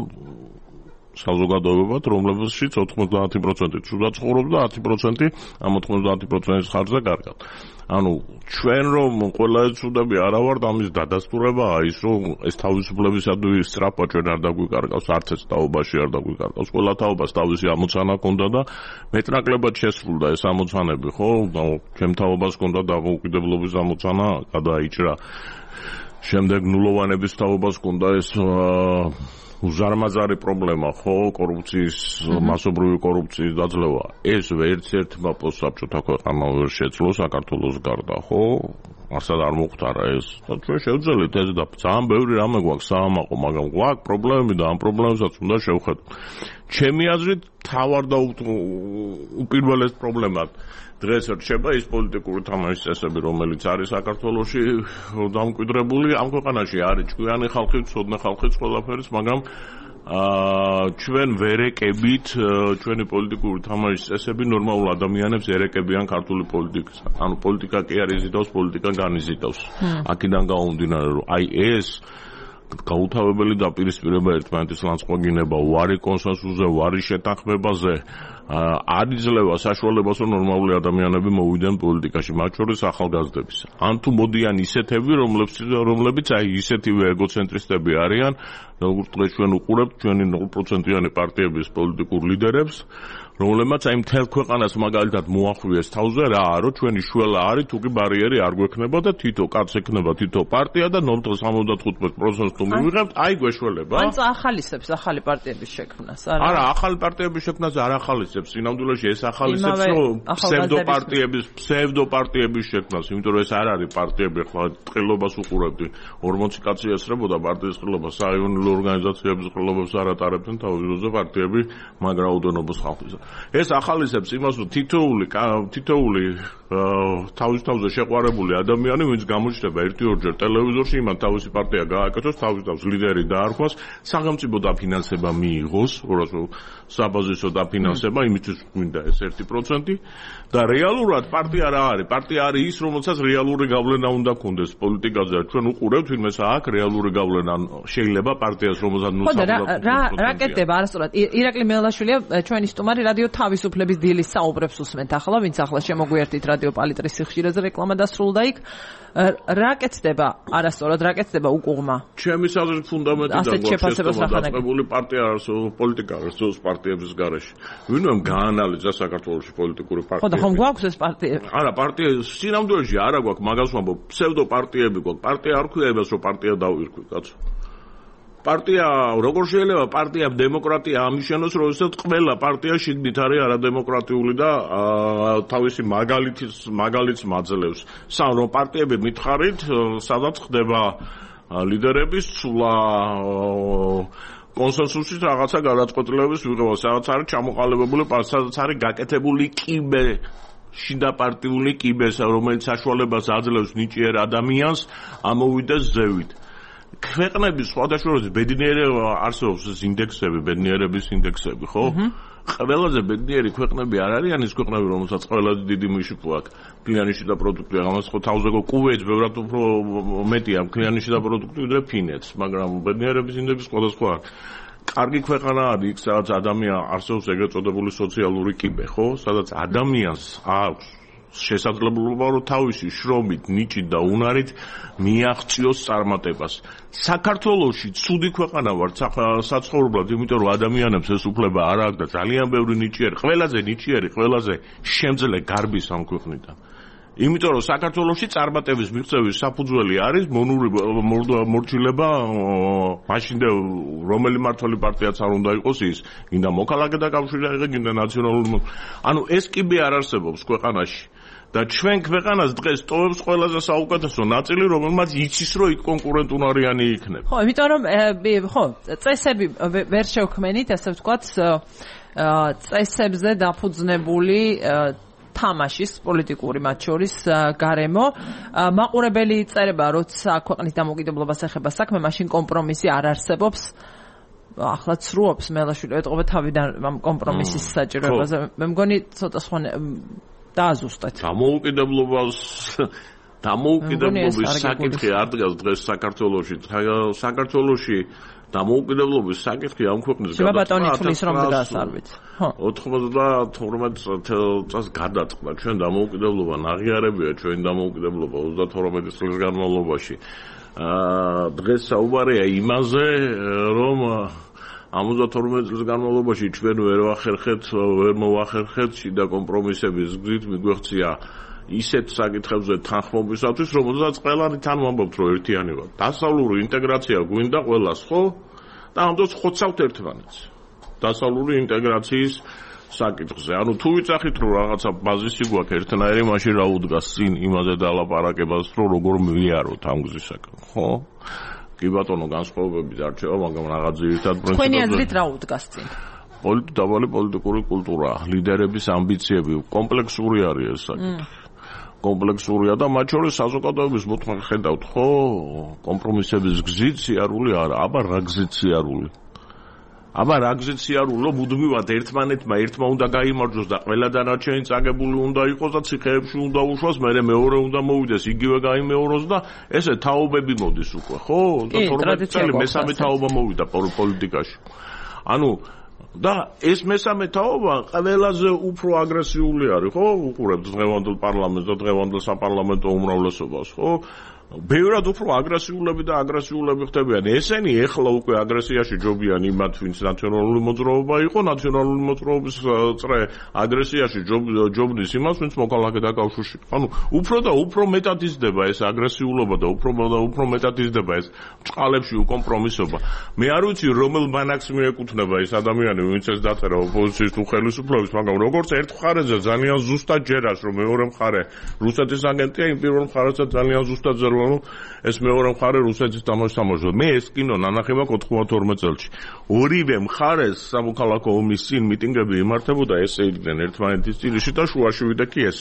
საზოგადოებებად, რომლებშიც 90% ცუდად ცხოვრობს და 10% ამ 90%-ის ხარჯზე კარგად. ანუ ჩვენ რომ ყველა ცუდები არა ვართ, ამის დადასტურებაა ის, რომ ეს თავისუფლებისადმი სწრაფვა ჩვენ არ დაგვიკარგავს, არც ეს თაობაში არ დაგვიკარგავს. ყველა თაობას თავისი ამოცანა ჰქონდა და მეტნაკლებად შესრულდა ეს ამოცანები, ხო? ჩემ თაობას ჰქონდა დამოუკიდებლობის ამოცანა, გადაიჭრა. შემდეგ ნულოვანების თაობას ჰქონდა ეს უზარმაზარი პრობლემა, ხო, კორუფციის, მასობრივი კორუფციის დაძლევა. ეს ერთ-ერთმა პოსტსაბჭოთა ქვეყანა ვერ შეძლო საქართველოს გარდა, ხო? არსად არ მოხდარა ეს. ჩვენ შევძელით ეს და ძალიან ბევრი რამე გვაქვს საამაყო, მაგრამ გვაქვს პრობლემები და ამ პრობლემებსაც უნდა შევხედოთ. ჩემი აზრით, თავარ და უპირველეს პრობლემად დღეს რჩება ის პოლიტიკური თამაშის წესები, რომელიც არის საქართველოში დამკვიდრებული. ამ ქვეყანაში არის ჭკვიანი ხალხი, ცოდნა ხალხიც ყველაფერს, მაგრამ ჩვენ ვერ ეკებით ჩვენი პოლიტიკური თამაშის წესები ნორმალურ ადამიანებს ერეკებიან ქართული პოლიტიკის. ანუ პოლიტიკა კი არ იზიდავს, პოლიტიკა განიზიდავს. აქედან გამომდინარე, რომ აი ეს გაუთავებელი დაპირისპირება ერთმანეთის ლანძღვაგინება, ვარი კონსენსუსზე, ვარი შეთანხმებაზე არ იძლევა საშუალებას, რომ ნორმალური ადამიანები მოვიდნენ პოლიტიკაში, მათ შორის ახალგაზრდების. ან თუ მოდიან ისეთები, რომლებიც აი ისეთივე ეგოცენტრისტები არიან, როგორც დღეს ჩვენ უყურებთ ჩვენი 0%-იანი პარტიების პოლიტიკურ ლიდერებს, რომლებმაც აი მთელ ქვეყანას მაგალითად მოახვიეს თავზე რა, რომ ჩვენი შველა არის, თუ კი ბარიერი არ გვექნება და თითო კაცს ექნება თითო პარტია და 0.75% თუ მივიღებთ, აი გვეშველება. ან ახალისებს ახალი პარტიების შექმნას, არა? არა, ახალი პარტიების შექმნას არ ახალისებს, სინამდვილეში ეს ახალისებს, რომ ფსევდოპარტიების შექმნას, იმიტომ რომ ეს არ არის პარტიები, ხო, ტყილობას უყურებდი. 40 კაცი ესწრებოდა პარტიის ტყილობას, საიონილო ორგანიზაციების ტყილობებს არ ატარებდნენ თავის დროზე პარტიები მაგ რაოდენობის ხალხის. ეს ახალისებს იმას, რომ თითოეული თავის თავზე შეყვარებული ადამიანი, ვინც გამოჩნდება 1-2 ტელევიზორში, იმან თავისი პარტია გააკეთოს, თავის თავს ლიდერი დაარქვას, სახელმწიფო დაფინანსება მიიღოს, საბაზისო დაფინანსება, იმისთვის გვინდა ეს 1% და რეალურად პარტია რა არის? პარტია არის ის, რომელსაც რეალური გავლენა უნდა ქონდეს პოლიტიკაზე. ჩვენ უყურებთ ვინმეს აქვს რეალური გავლენა, შეიძლება პარტიას, რომელსაც რა კეთდება არასწორად. ირაკლი მელაშვილია, ჩვენი სტუმარი რადიო თავისუფლების დილის საუბრებს უსმენთ ახლა, ვინც ახლა შემოგვიერთით რადიო პალიტრის სიხშირეზე რეკლამა დასრულდა იქ. რა კეთდება არასწორად, რა კეთდება უკუღმა? ჩემის აზრით ფუნდამენტიდან დაწყებული პარტია არსებობს, პოლიტიკა არსებობს პარტიების გარეშე. ვინმე გაანალიზა საქართველოში პოლიტიკური პარტიები. ხო და ხომ გვაქვს ეს პარტიები? არა, პარტია სინამდვილეში არა გვაქვს, მაგას ვამბობ, ფსევდოპარტიები გვაქვს. პარტია არ ქვია იმას, რომ პარტია დავირქვი, კაცო. პარტია, როგორ შეიძლება პარტიამ დემოკრატია ამიშენოს, როდესაც ყველა პარტია შიგნით არის არადემოკრატიული და თავისი მაგალითს მაძლევს. რომ პარტიები მითხარით, სადაც ხდება ლიდერების ცვლა, კონსენსუსის რაღაცა გადაწყვეტილების მიღება, სადაც არის ჩამოყალიბებული, სადაც არის გაკეთებული კიბე, შიდა პარტიული კიბე, რომელიც საშუალებას აძლევს ნიჭიერ ადამიანს ამოვიდეს ზევით. ქვეყნების სხვადასხვა ბედნიერება არსებობს ეს ინდექსები, ბედნიერების ინდექსები, ხო? ყველაზე ბედნიერი ქვეყნები არ არიან ის ქვეყნები, რომელსაც ყველაზე დიდი მიშიფო აქვს. ქლიანი შიდა პროდუქტი, ამას ხო თავზე კუვეიტს ბევრად უფრო მეტია ქლიანი შიდა პროდუქტი ვიდრე ფინეთს, მაგრამ ბედნიერების ინდექსი სხვადასხვა არის. კარგი ქვეყანა არის იქ, სადაც ადამიანი არსებობს ეგრეთ წოდებული სოციალური კიბე, ხო? სადაც ადამიანს აქვს შესაძლებლობა, რომ თავისი შრომით, ნიჭით და უნარით მიაღწიოს წარმატებას. საქართველოში ცუდი ქვეყანა ვართ საცხოვრებლად, იმიტომ რომ ადამიანებს ეს უფლება არ აქვს და ძალიან ბევრი ნიჭიერი, ყველაზე შემძლე გარბის ამ ქვეყნიდან. იმიტომ რომ საქართველოში წარმატების მიღწევის საფუძველი არის მორჩილება მაშინდე რომელი მმართველი პარტიაც არ უნდა იყოს ის, გინდა მოქალაქეთა კავშირი აიღე, გინდა ნაციონალური. ანუ ეს კიბე არ არსებობს ქვეყანაში. და ჩვენ ქვეყანას დღეს ტოვებს ყველაზე საუკეთესო ნაწილი, რომელმაც იცის, რომ იქ კონკურენტუნარიანი იქნება. ხო, იმიტომ რომ წესები ვერ შევქმენით, ასე ვთქვათ, წესებზე დაფუძნებული თამაშის პოლიტიკური მათ შორის გარემო. მაყურებელი წერება, როცა ქვეყნის დამოუკიდებლობას ეხება საქმე, მაშინ კომპრომისი არ არსებობს. ახლა ცრუობს მელაშვილი, ეტყობა თავიდან ამ კომპრომისის საჭიროებაზე. მე მგონი ცოტა სხვა დააზუსტეთ. დამოუკიდებლობის საკითხი არ დგას დღეს საქართველოში. საქართველოში დამოუკიდებლობის საკითხი ამ ქვეყნის გადაწყდა 92 წელს გადაწყდა. ჩვენ დამოუკიდებლობა ნაღიარებია, ჩვენი დამოუკიდებლობა 32 წლის განმავლობაში. დღეს საუბარია იმაზე, რომ ამ 32 წლის განმავლობაში ჩვენ ვერ მოვახერხეთ შიდა კომპრომისების გზით, მიგვეღწია ისეთ საკითხებზე თანხმობისათვის, რომელსაც ყველანი თან ვამბობთ, რომ ერთიანი ვართ. დასავლური ინტეგრაცია გვინდა ყველას, ხო? და ამიტომ ხოცავთ ერთმანეთს. დასავლური ინტეგრაციის საკითხზე. ანუ თუ ვიცახით, რომ რაღაცა ბაზისი გვაქვს ერთნაირი, მაშინ რა უდგას წინ იმაზე დალაპარაკებას, რომ როგორ მივიაროთ ამ გზისაკენ, ხო? კი ბატონო, განსხვავებები დარჩება, მაგრამ რაღაც ძირითად პრინციპებზე. თქვენი აზრით რა უდგას წინ? დავალი პოლიტიკური კულტურა, ლიდერების ამბიციები, კომპლექსური არის ეს საკითხი. კომპლექსურია და მათ შორის საზოგადოების მოთხოვნა ხედავთ, ხო? კომპრომისების გზით სიარული არა, აბა რა გზით სიარული? აბა რა გზით სიარულო მუდმივად ერთმანეთმა ერთმა უნდა გაიმარჯვოს და ყველა დანარჩენი წაგებული უნდა იყოს და ციხეებში უნდა უშვას, მერე მეორე უნდა მოვიდეს, იგივე გაიმეოროს და ესე თაობები მოდის უკვე, ხო? და 12 წელი მესამე თაობა მოვიდა პოლიტიკაში. ანუ და ეს მესამე თაობა ყველაზე უფრო აგრესიული არის, ხო? უყურებთ დღევანდელ პარლამენტს და დღევანდელ საპარლამენტო უმრავლესობას, ხო? ბევრად უფრო აგრესიულები და აგრესიულები ხდებიან. ესენი ეხლა უკვე აგრესიაში ჯობიან იმათ, ვინც ნაციონალური მოძრაობა იყო, ნაციონალური მოძრაობის წრე აგრესიაში ჯობნის იმას, ვინც მოქალაქე დაკავშირში. ანუ უფრო და უფრო მეტად იზრდება ეს აგრესიულობა და უფრო მეტად იზრდება ეს წყალებში უკომპრომისობა. მე არ ვიცი რომელ ბანაკს მიეკუთვნება ეს ადამიანი, ვინც ეს დაწერა ოპოზიციის თუ ხელისუფლების, მაგრამ როგორც ერთ მხარეზე ძალიან ზუსტად ჯერას, რომ მეორე მხარე რუსეთის აგენტია, იმ პირველ მხარესაც ძალიან ზუსტად წერს ეს მეორე მხარე რუსეთის თამაშობს. მე ეს კინო ნანახი მაქვს 92 წელს. ორივე მხარეს სამოქალაქო ომის წინ მიტინგები იმართებოდა, ესე იდნენ ერთმანეთის წინში და შუაში ვიდა კი ეს.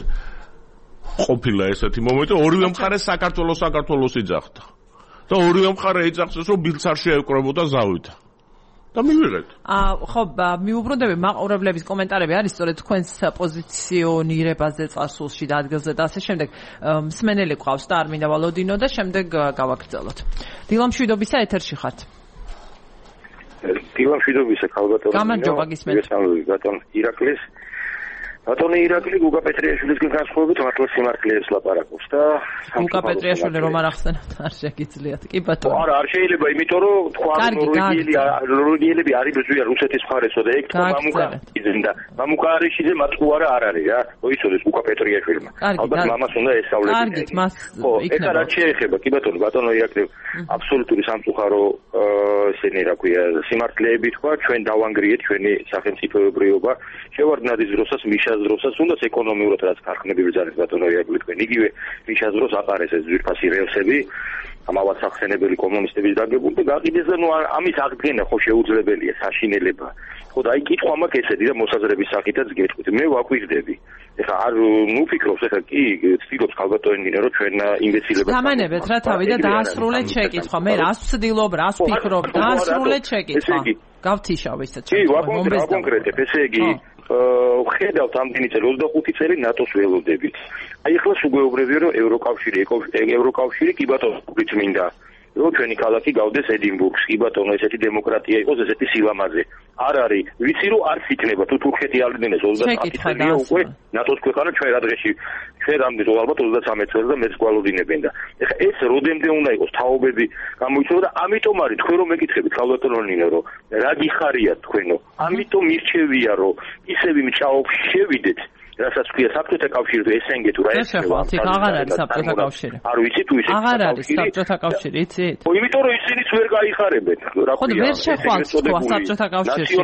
ყოფილა ესეთი მომენტი, ორივე მხარე საქართველოს იძახდა. და ორივე მხარე იძახს, რომ ბილდს არ შეეკრებოდა ზავითა. და მივიღეთ. ხო, მიუბრუნდები მაყურებლების კომენტარები არის სწორედ თქვენს პოზიციონირებაზე წარსულში და ადგილზე და ასე შემდეგ. მსმენელი ყავს და არ მინდა ვალოდინო და შემდეგ გავაგრძელოთ. დილამშვიდობისა ეთერში ხართ. დილამშვიდობისა ქალბატონო. გამარჯობა გისმენთ. ბატონ ირაკლის. ბატონი ირაკლი გუგა პეტრიაშვილისგან განსხვავებით მართლა სიმართლეებს ლაპარაკობს და გუგა პეტრიაშვილი რომ არ ახსენებთ არ შეგიძლიათ. კი ბატონო. არა, არ შეიძლება, იმიტომ რომ თქვა ნორვეგიელები არის ბრძვია რუსეთის მხარესო და ეგ და მამუკარიშიძე მათყუარა არ არის რა. მოიცოდეთ გუგა პეტრიაშვილმა. ალბათ მამას უნდა ესწავლებს. კარგით, მას იქნება. ეხლა რა შეეხება? კი ბატონო ირაკლი აბსოლუტური სამწუხარო ესენი რა ქვია სიმართლეები თქვა, ჩვენ დავანგრიეთ ჩვენი სახელმწიფოებრიობა. შევარდნად ის დროსაც მიშას დროსაც უნდაც ეკონომიურად რაც ქარხნები ბრძანეს ბატონო ირაკლი თქვენ იგივე მიშას დროს აპარეს ეს ძვირფასი რელსები ამავდროულად სახსენებელი კომუნისტების დაგებული და გაყიდეს და ნუ ამის აღდგენა ხო შეუძლებელია საშინელება ხო და აი კითხვა მაქვს ესეთი და მოსაზრების სახითაც გეტყვით მე ვაკვირდები ეხლა არ ნუ ფიქრობს ეხლა კი ცდილობს ქალბატონი რომ ჩვენ იმბეცილებას დამანებეთ რა თავი და დაასრულეთ შეკითხვა მე რას ვცდილობ რას ვფიქრობ დაასრულეთ შეკითხვა გავთიშავ ისე კი ვაკონკრეტებ ესე იგი ხედავთ ამდენი წელი 25 წელი ნატოს ველოდებით. აი ახლა სუგეუბრებია რომ ევროკავშირი კი ბატონო გიწმინდა. რომ ჩვენი ქალაქი გავდეს ედინბურგს, კი ბატონო ესეთი დემოკრატია იყოს, ესეთი სილამაზე. არ არის, ვიცი რომ არც იქნება თუ თურქეთი აღდგენეს 30 წელია უკვე ნატოს ქვეყანა ჩვენ რა დღეში ჩვენ რამდენი ალბათ 33 წელს და მეც გვალოდინებენ და ეხლა ეს როდემდე უნდა იყოს თაობები გამოიწვია და ამიტომ არის თქვენ რომ მეკითხებით ქალბატონო ნინო რომ რა გიხარიათ თქვენო ამიტომ მირჩევია რომ ისევ მჭაობს შევიდეთ რასაც ქვია საბჭოთა კავშირი თუ ესენგე თუ რა ესევა აღარ არის საბჭოთა კავშირი არ ვიცი თუ ისე აღარ არის საბჭოთა კავშირი იცით ხო იმიტომ რომ ისინიც ვერ გაიხარებენ რა ხო ვერ შეხვალთ თქვა საბჭოთა კავშირში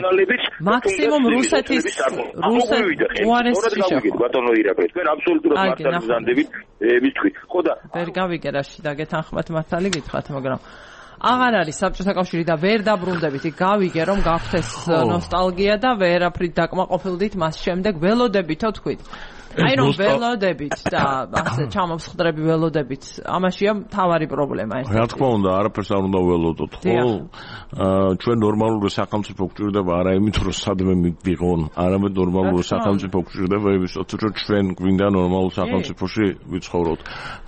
მაქსიმუმ რუსეთის უარესში შეხვალ ბატონო ირაკლი თქვენ აბსოლუტურად მართალ გზანდებით მითქვით ხო და ვერ გავიგე რა შიდა გეთანხმათ მართალი გითხრათ მაგრამ აღარ არის საბჭოთა კავშირი და ვერ დაბრუნდებით იქ გავიგე რომ გახდეს ნოსტალგია და ვერაფრით დაკმაყოფილდით მას შემდეგ ველოდებითო თქვით აი რომ ველოდებით და ასე ჩამოვსხდრები ველოდებით ამაშია მთავარი პრობლემა ეს რა თქმა უნდა არაფერს არ უნდა ველოდოთ ხო ჩვენ ნორმალური სახელმწიფო გვჭირდება არა იმით რომ სადმე მივიღონ არამედ ნორმალური სახელმწიფო გვჭირდება იმისთვის რომ ჩვენ გვინდა ნორმალურ სახელმწიფოში ვიცხოვროთ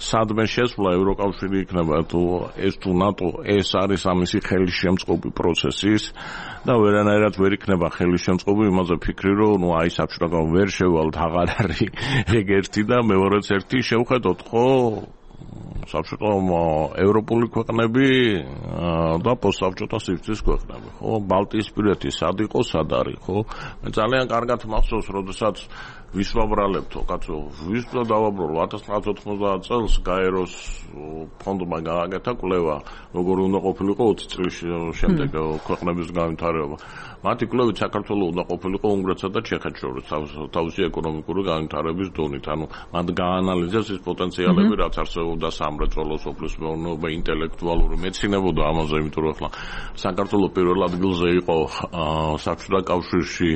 სადმე შესვლა ევროკავშირი იქნება თუ ეს თუ ნატო ეს არის ამისი ხელისშემწყობი პროცესის და ვერანაირად ვერ იქნება ხელისშემწყობი იმაზე ფიქრი რომ ნუ აი საბჭოთა ვერ შევალთ აღარ არის ეგ ერთი და მეორეც ერთი შევხედოთ ხო საბჭოთა ევროპული ქვეყნები და პოსტსაბჭოთა სივრცის ქვეყნები, ხო? ბალტიისპირეთი სად იყო, სად არის, ხო? მე ძალიან კარგად მახსოვს, როდესაც ვისვაბრალებთო, კაცო, ვის დავაბრალო 1990 წელს გაეროს ფონდმა გააკეთა კვლევა, როგორ უნდა ყოფილიყო 20 წლის შემდეგ ქვეყნების განვითარება. მათი კვლევით საქართველოს უნდა ყოფილიყო უნგრეთსა და ჩეხეთს შორის თავისი ეკონომიკური განვითარების დონით. ანუ მათ გაანალიზეს ის პოტენციალები, რაც არსებობდა სამრეწველო, სოფლის მეურნეობა, ინტელექტუალური მეცნიერება ამაზე, იმიტომ რომ ახლა საქართველოს პირველ ადგილზე იყო საბჭოთა კავშირში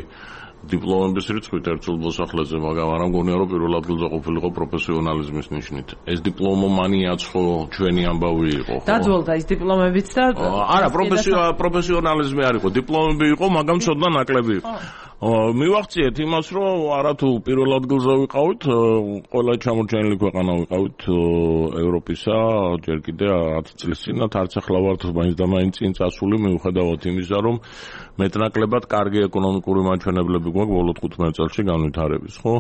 დიპლომების რიცხვით ერთულ მოსახლეზე, მაგრამ არ მგონია რომ პირველ ადგილზე ყოფილიყო პროფესიონალიზმის ნიშნით. ეს დიპლომომანიაც ხო ჩვენი ამბავი იყო, ხო? დაძველდა ის დიპლომებიც და არა, პროფესიონალიზმი არ იყო, დიპლომები იყო, მაგრამ ცოტა ნაკლები იყო. მივახციეთ იმას, რომ არათუ პირველ ადგილზე ვიყავით, ყველა ჩამორჩენილი ქვეყანა ვიყავით ევროპისა, ჯერ კიდე 10 წლის წინათ, არც ახლა ვართ მაინც და მაინც წინ წასული, მიუხედავად იმისა, რომ მეტნაკლებად კარგი ეკონომიკური მაჩვენებლები გვაქვს ბოლო 15 წელში განვითარების, ხო?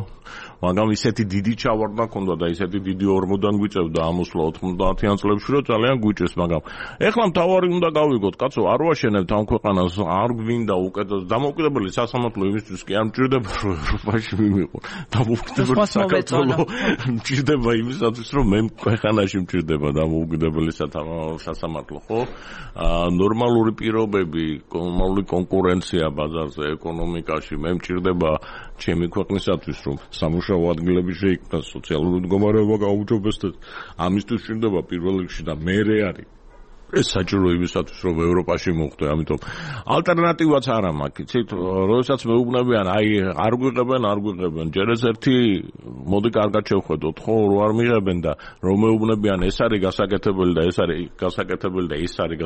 მაგრამ ისეთი დიდი ჩავარდნა ქონდა და ისეთი დიდი ორმოდან გვიწევდა ამოსვლა 90-იან წლებში, რომ ძალიან გვიჭეს, მაგრამ ეხლა მთავარი უნდა გავიგოთ, კაცო, არ ვაშენებთ ამ ქვეყანას, არ გვინდა უკეთეს დამოუკიდებელი სასამართლო იმისთვის კი არ მჭირდება რომ ევროპაში მივიყო. დამოუკიდებელი საქართველო მჭირდება იმისათვის, რომ მე ქვეყანაში მჭირდება დამოუკიდებელი სასამართლო, ხო? ნორმალური პირობები, ნორმალური კონკურენცია ბაზარზე, ეკონომიკაში, მე მჭირდება ჩემი ქვეყნისათვის, რომ სამუშაო ადგილები შეიქმნას, სოციალური მდგომარეობა გაუმჯობესდეს. ამისთვის მჭირდება პირველ რიგში და მერე არის ეს საჭირო იმისათვის, რომ ევროპაში მოხვდე, ამიტომ ალტერნატივაც არ მაქვს. იცით, როდესაც მეუბნებიან, აი, არ გვიღებენ, ჯერ ეს ერთი მოდი კარგად შევხედოთ, ხო, რო არ მიღებენ და რომ მეუბნებიან, ეს არის გასაკეთებელი და ეს არის გასაკეთებელი და ის არის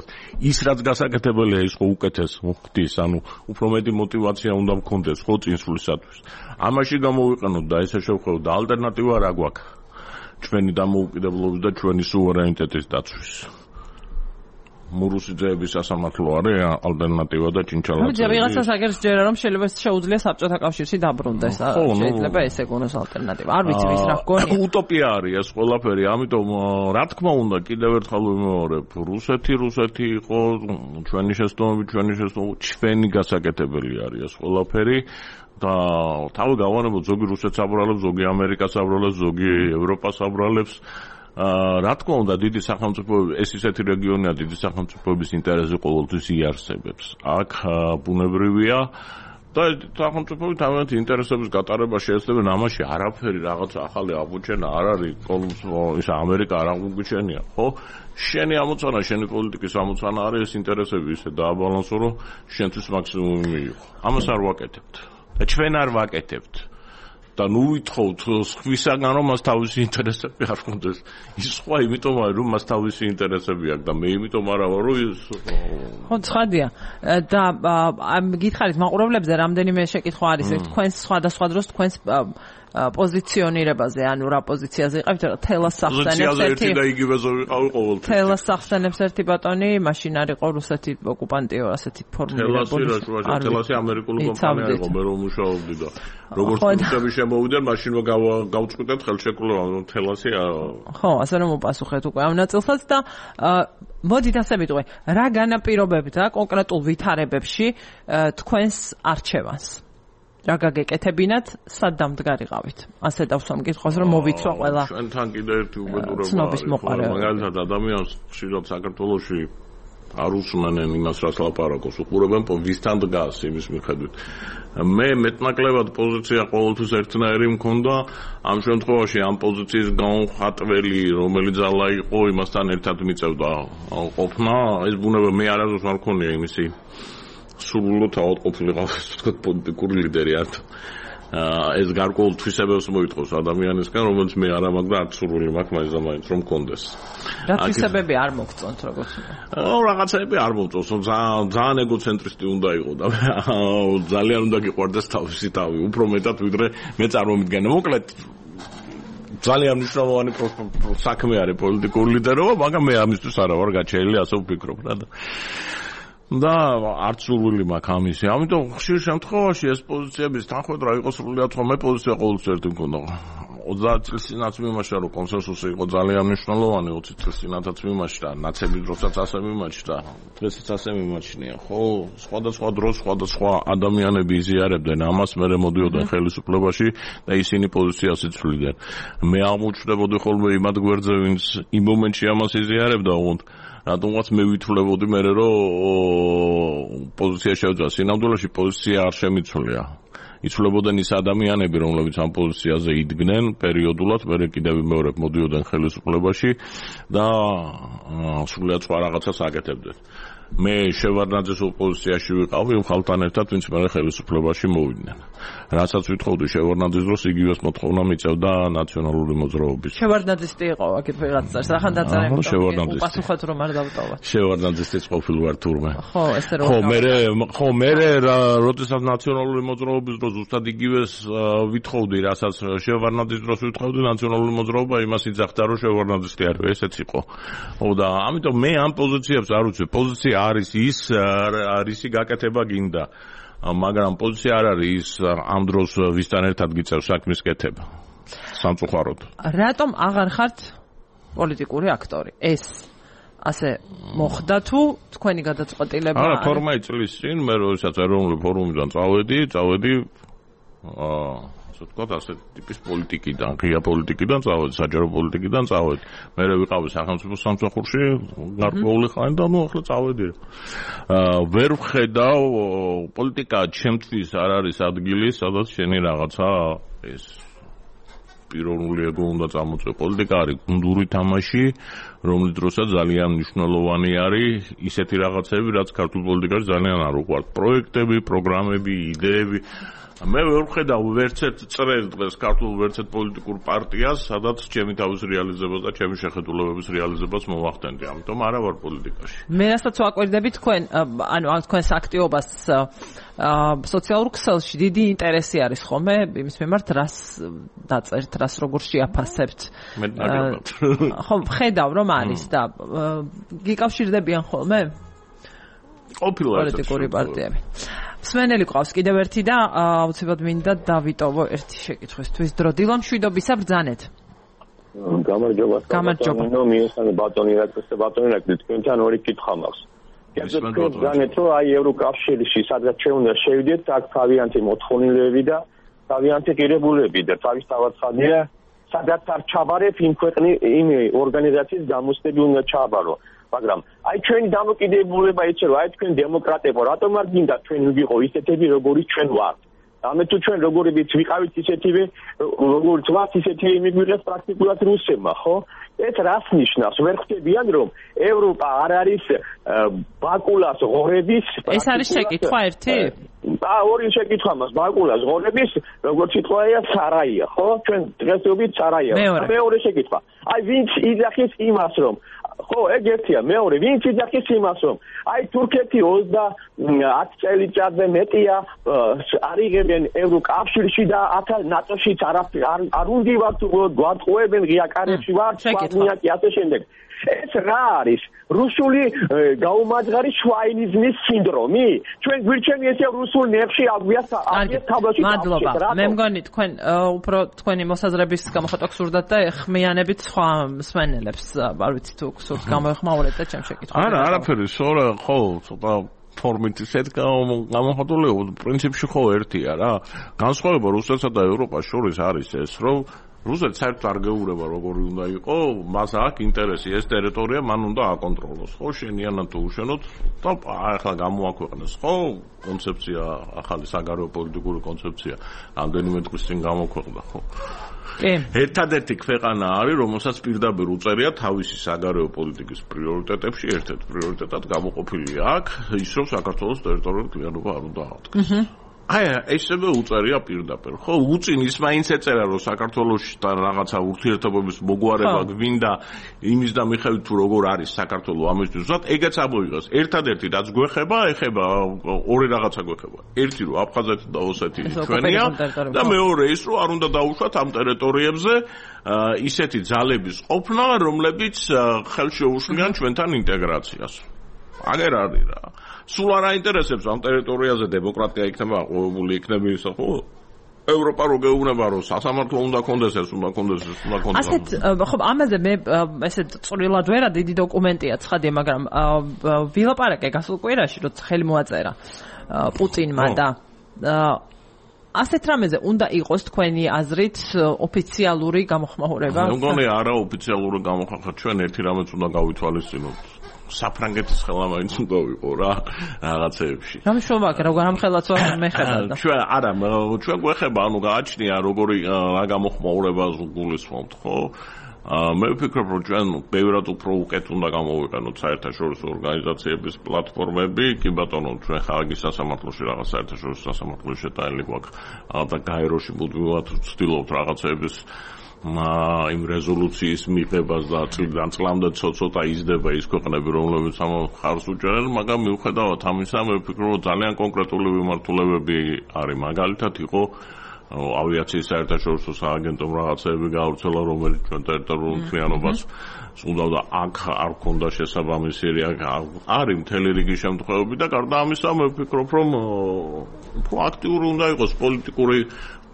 ის რაც გასაკეთებელია, ის ხო უკეთეს მოხდის, ანუ უფრო მეტი мотиваცია უნდა მქონდეს, ხო, წინსვლისათვის. ამაში გამოვიყენოთ და ესე შევხედოთ და ალტერნატივა რა გვაქვს? ჩვენი დამოუკიდებლობის და ჩვენი სუვერენიტეტის დაცვის. მურუსიძეების სასამართლო არის ალტერნატივა და ჭინჩალაძე. ვიღაცას აგერ ჯერა რომ შეიძლება შეუძლია საბჭოთა კავშირში დაბრუნდეს. შეიძლება ესე გონოს ალტერნატივა. არ ვიცი ვის რა გონია. უტოპია არის ეს ყველაფერი, ამიტომ რა თქმა უნდა კიდევ ერთხელ ვიმეორებ, რუსეთი იყო ჩვენი შეცდომები, ჩვენი გასაკეთებელი არის ეს ყველაფერი. და თავი გავანებოთ, ზოგი რუსეთს აბრალებს, ზოგი ამერიკას აბრალებს, ზოგი ევროპას აბრალებს. რა თქმა უნდა, დიდი სახელმწიფოები, ეს ისეთი რეგიონია, დიდი სახელმწიფოების ინტერესი ყოველთვის იარსებებს. აქ ბუნებრივია და სახელმწიფოები თავიანთი ინტერესების გატარება შეეცდებიან, ამაში არაფერი რაღაც ახალი აღმოჩენა არ არის, ის ამერიკა არ აღმოჩენია, ხო? შენი ამოცანა, შენი პოლიტიკის ამოცანა არის ეს ინტერესები ისე დააბალანსო, რომ შენთვის მაქსიმუმი მიიღო. ამას არ ვაკეთებთ. და ჩვენ არ ვაკეთებთ. და ნუ ვითხოვთ სხვისაგან რომ მას თავისი ინტერესები არ ჰქონდეს. ის სხვა იმიტომ არის რომ მას თავისი ინტერესები აქვს და მე იმიტომ არა ვარ რომ ის ხო ცხადია. და გითხარით მაყურებლებზე რამდენიმე შეკითხვა არის თქვენს სხვადასხვა დროს თქვენს პოზიციონირებაზე, ანუ რა პოზიციაზე იყავით, თელას სახსენებს ერთი და იგივეზე ვიყავი ყოველთვის. თელას სახსენებს ერთი ბატონი, მაშინ არ იყო რუსეთი ოკუპანტიო, ასეთი ფორმულირებული. თელასი ამერიკული კომპანია იყო, მე რომ მუშაობდი და როგორც რუსები შემოვიდნენ, მაშინ გავწყვიტეთ ხელშეკრულება, თელასი. ხო, ასე რომ უპასუხეთ უკვე ამ ნაწილსაც და მოდით ასე ვიტყვი, რა განაპირობებდა კონკრეტულ ვითარებებში თქვენს არჩევანს? რა გაგეკეთებინათ, სად დამდგარიყავით? ასე დავსვამ კითხვას, რომ მოვიცვა ყველა. ჩვენთან კიდე ერთი უბედურება არის. მაგალითად, ადამიანს ხშირად საქართველოში არ უსმენენ იმას, რაც ლაპარაკობს, უყურებენ ვისთან დგას იმის მიხედვით. მე მეტნაკლებად პოზიცია ყოველთვის ერთნაირი მქონდა, ამ შემთხვევაში ამ პოზიციის განხატველი, რომელიც ძალა იყო, იმასთან ერთად მიწევდა ყოფნა. ეს ბუნება მე არასდროს არ მქონია იმისი სრულიად ავადმყოფილიყავ, ასე ვთქვათ, პოლიტიკური ლიდერი არ. ეს გარკვეულ თვისებებს მოითხოვს ადამიანისგან, რომელიც მე არ მაქვს და არც სურვილი მაქვს მაინც და მაინც რომ მქონდეს. რა თვისებები არ მოგწონთ როგორც? რაღაცები არ მომწონს, ძალიან ეგოცენტრისტი უნდა იყო და ძალიან უნდა გიყვარდეს თავისი თავი, უფრო მეტად ვიდრე მე წარმომიდგენე. მოკლედ ძალიან მნიშვნელოვანი საქმე არის პოლიტიკური ლიდერობა, მაგრამ მე ამისთვის არა ვარ გაჩენილი, ასე ვფიქრობ რა და და არც სურვილი მაქვს ამისი. ამიტომ ხშირ შემთხვევაში ეს პოზიციების თანხმედრა იყო სრულიად სხვა. მე პოზიცია ყოველთვის ერთი მქონდა. 30 წლის წინაც მიმაჩნდა რომ კონსენსუსი იყო ძალიან მნიშვნელოვანი 20 წლის წინათაც მიმაჩნდა ნაცები დროსაც ასე მიმაჩნდა დღესაც ასე მიმაჩნია ხო სხვადასხვა დროს სხვადასხვა ადამიანები იზიარებდნენ ამას მერე მოდიოდნენ ხელისუფლებაში და ისინი პოზიციას იცვლიდნენ მე აღმოჩნდებოდი ხოლმე იმად გვერდზე ვინც იმ მომენტში ამას იზიარებდა უგონთ რატომღაც მე ვითვლებოდი მერე რომ პოზიცია შევძვა სინამდვილეში პოზიცია არ შემიცვლია იცვლებოდნენ ის ადამიანები რომლებიც ამ პოზიციაზე იდგნენ პერიოდულად მერე კიდევ მეორე მოდიოდნენ ხელისუფლებაში და სრულიად სხვა რაღაცას აკეთებდნენ მე შევარდნაძის ოპოზიციაში ვიყავი ხალხთან ერთად ვინც მე ხელისუფლებაში მოვიდნენ რასაც ვითხოვდი შევარდნაძის დროს იგივეს მოთხოვნა მიწევდა ნაციონალური მოძრაობის შევარდნაძის ტიყო აქეთ ვიღაცას ახან დაწერა უპასუხოთ რომ არ დავტოვოთ შევარდნაძის ყოფილი ვარ თურმე ხო ესე რომ ხო მე როდესაც ნაციონალური მოძრაობის დროს ზუსტად იგივეს ვითხოვდი რასაც შევარდნაძის დროს ვითხოვდი ნაციონალური მოძრაობა იმას იძახდა რომ შევარდნაძის კი არის ესეც იყო ხო და ამიტომ მე ამ პოზიციებს არ ვიცი პოზიცია არის ის რისი გაკეთება გინდა მაგრამ პოზიცია არ არის ის ამ დროს ვისთან ერთად გიწევს საქმის კეთება სამწუხაროდ რატომ აღარ ხართ პოლიტიკური აქტორი ეს ასე მოხდა თუ თქვენი გადაწყვეტილება არა 12 წლის წინ მე როდესაც ეროვნული ფორუმიდან წავედი ასე ვთქვათ ასე ტიპის პოლიტიკიდან ღია პოლიტიკიდან წავედი საჯარო პოლიტიკიდან წავედი მე ვიყავი სახელმწიფო სამსახურში გარკვეული ხანი და ნუ ახლა წავედი ვერ ვხედავ პოლიტიკა ჩემთვის არ არის ადგილი სადაც შენი რაღაცა ეს პიროვნული ეგო უნდა წამოწე პოლიტიკა არის გუნდური თამაში რომლის დროსაც ძალიან მნიშვნელოვანი არის ისეთი რაღაცები რაც ქართულ პოლიტიკაში ძალიან არ უყვართ პროექტები პროგრამები იდეები მე ვერ ვხედავ ვერცერთ წრეს დღეს ქართულ ვერცერთ პოლიტიკურ პარტიას სადაც ჩემი თავის რეალიზებას და ჩემი შეხედულებების რეალიზებას მოვახდენდი ამიტომ არა ვარ პოლიტიკაში მე რასაც ვაკვირდები თქვენ ანუ თქვენს აქტივობას სოციალურ ქსელში დიდი ინტერესი არის ხოლმე იმის მიმართ რას დაწერთ რას როგორ შეაფასებთ ხო ხედავ რომ არის და გიკავშირდებიან ხოლმე პოლიტიკური პარტიები მსმენელი ყავს კიდევ ერთი და აუცილებლად მინდა დავიტოვო ერთი შეკითხვისთვის დრო დილა მშვიდობისა ბრძანეთ გამარჯობა მიესალმე ბატონი რაკეთე ბატონი რაკეთე თქვენთან ორი კითხვა მაქვს ბრძანეთ რომ აი ევროკავშირში სადღაც შეუნდა შევიდეთ აქ თავიანთი მოთხოვნილები და თავიანთი ღირებულები და თავისთავად ხადია სადაც არ ჩაბარებ იმ ორგანიზაციის გამოსდები უნდა ჩაბარო მაგრამ აი ჩვენი დამოკიდებულება იცი რომ აი თქვენ დემოკრატებო რატომ არ გინდა თქვენ ვიყო ისეთები როგორიც ჩვენ ვართ ამე თუ ჩვენ როგორიც ვიყავით ისეთივე როგორც ვართ ისეთივე მიგვიღეს პრაქტიკულად რუსებმა ხო ეს რას ნიშნავს ვერ ხვდებიან რომ ევროპა არ არის ბაკულას ღორების ეს არის შეკითხვა ერთი ორი შეკითხვა მაქვს ბაკულას ღორების როგორც სიტყვაა სარაია ხო ჩვენ დღესდღეობით სარაია მეორე შეკითხვა აი ვინც იძახის იმას რომ ხო ეგ ერთია მეორე ვინც იძახის იმას რომ აი თურქეთი 10 წელიწადზე მეტია არიღებენ ევროკავშირში და ნატოშიც არ უნდათ გვატყუებენ ღია კარებში ვართ სვანიაკი ასე შემდეგ ეს რა არის რუსული გაუმაძღარი შვაინიზმის სინდრომი ჩვენ გვირჩევი ესე რუსულ ნეხში აგვიათ თაბლოში მადლობა მე მგონი თქვენ უფრო თქვენი მოსაზრების გამოხატვა გსურდათ და ეხმიანებით სხვა მსმენელებს არ ვიცი თუ გსურთ გამოეხმაურეთ და ჩემ შეკითხვას არა არაფერი სორა ხო ცოტა ფორმით ისეთ გამოხატული პრინციპში ხო ერთია რა განსხვავება რუსეთსა და ევროპას შორის არის ეს რომ რუსეთს საერთოდ არ გეურება როგორი უნდა იყო მას აქვს ინტერესი ეს ტერიტორია მან უნდა აკონტროლოს ხო შენიანად თუ უშენოდ და ახლა გამოაქვეყნეს ხო კონცეფცია ახალი საგარეო პოლიტიკური კონცეფცია რამდენიმე დღის წინ გამოქვეყნდა ხო ერთადერთი ქვეყანა არის რომელსაც პირდაპირ უწერია თავისი საგარეო პოლიტიკის პრიორიტეტებში ერთ-ერთ პრიორიტეტად გამოყოფილი აქვს ის რომ საქართველოს ტერიტორიული კლიანობა არ უნდა აღდგეს აი ესევე უწერია პირდაპირ ხო უწინ ის მაინც ეწერა რომ საქართველოსთან რაღაცა ურთიერთობების მოგვარება გვინდა იმის და მიხედვით თუ როგორ არის საქართველოს ამისთვის უბრალოდ ეგეც ამოიღეს ერთადერთი რაც გვეხება ეხება ორი რაღაცა გვეხება ერთი რომ აფხაზეთი და ოსეთი ჩვენია და მეორე ის რომ არ უნდა დაუშვათ ამ ტერიტორიებზე ისეთი ძალების ყოფნა რომლებიც ხელშეუშვიან ჩვენთან ინტეგრაციას აგერ არის რა სულ არ აინტერესებს ამ ტერიტორიაზე დემოკრატია იქნება აყვავებული იქნება ისე ხო ევროპა რო გეუბნება რომ სასამართლო უნდა კონდეს ეს უნდა კონდეს ასეთ ხო ამაზე მე ესე წვრილად ვერა დიდი დოკუმენტია ცხადია მაგრამ ვილაპარაკე გასულ კვირაში რომ ხელი მოაწერა პუტინმა და ასეთ რამეზე უნდა იყოს თქვენი აზრით ოფიციალური გამოხმაურება? მე მგონი არა ოფიციალური გამოხმაურება ჩვენ ერთი რამეც უნდა გავითვალისწინოთ საფრანგეთის ხელა მაინც უნდა ვიყო რა რაღაცეებში. რა მშობა აქვს როგორ ამ ხელაც მე ხედავ. ჩვენ არა ჩვენ გვეხება ანუ გააჩნია როგორი რა გამოხმაურებას გულისხმობთ ხო? მე ვფიქრობ რომ ჩვენ ბევრად უფრო უკეთ უნდა გამოვიყენოთ საერთაშორისო ორგანიზაციების პლატფორმები, კი ბატონო ჩვენ ხარაგის სასამართლოში რაღაც საერთაშორისო სასამართლოში შეტანილი გვაქვს და გაეროში მუდმივად ვცდილობთ რაღაცების იმ რეზოლუციის მიღებას და წლიდან წლამდე ცოტა იზრდება ის ქვეყნები რომლებიც ამ ხარს უჭერენ, მაგრამ მიუხედავად ამისა მე ვფიქრობ რომ ძალიან კონკრეტული მიმართულებები არის მაგალითად იყო ავიაციის საერთაშორისო სააგენტომ რაღაცეები გაავრცელა, რომელიც ჩვენ ტერიტორიულ მთლიანობას სუნდავდა აქ არ ქონდა შესაბამისი არის მთელი რიგი შემთხვევები და გარდა ამისა მე ვფიქრობ რომ უფრო აქტიური უნდა იყოს პოლიტიკური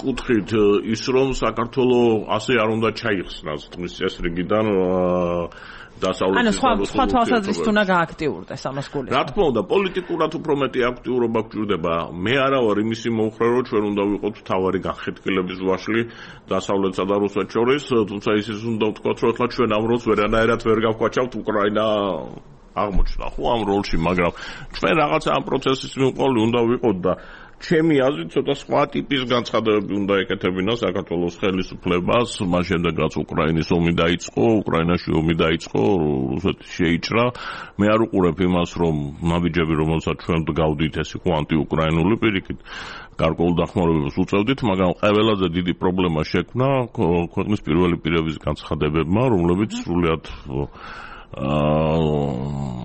კუთხით ის რომ საქართველოს ასე არ უნდა ჩაიხსნას თმის წესრიგიდან ანუ სხვა თვალსაზრისით უნდა გააქტიურდეს ამას გულისხმობ. რა თქმა უნდა, პოლიტიკურად უფრო მეტი აქტიურობა გვჭირდება. მე არა ვარ იმისი მომხრე, რომ ჩვენ უნდა ვიყოთ მთავარი განხეთქილების ვაშლი დასავლეთსა და რუსეთს შორის, თუმცა ისიც უნდა ვთქვათ, რომ ახლა ჩვენ ამ როლს ვერანაირად ვერ გავკვაჩავთ უკრაინა აღმოჩნდა ხო ამ როლში, მაგრამ ჩვენ რაღაცა ამ პროცესის მიყოლი უნდა ვიყოთ და ჩემი აზრით ცოტა სხვა ტიპის განცხადებები უნდა ეკეთებინა საქართველოს ხელისუფლებას, მას შემდეგ რაც უკრაინის ომი დაიწყო, უკრაინაში ომი დაიწყო, რუსეთი შეიჭრა. მე არ უყურებ იმას, რომ ნაბიჯები, რომელსაც ჩვენ გავდით, ეს იყო ანტიუკრაინული პირიქით, გარკვეულ დახმარებებს უწევდით, მაგრამ ყველაზე დიდი პრობლემა შექმნა ქვეყნის პირველი პირების განცხადებებმა, რომლებიც სრულიად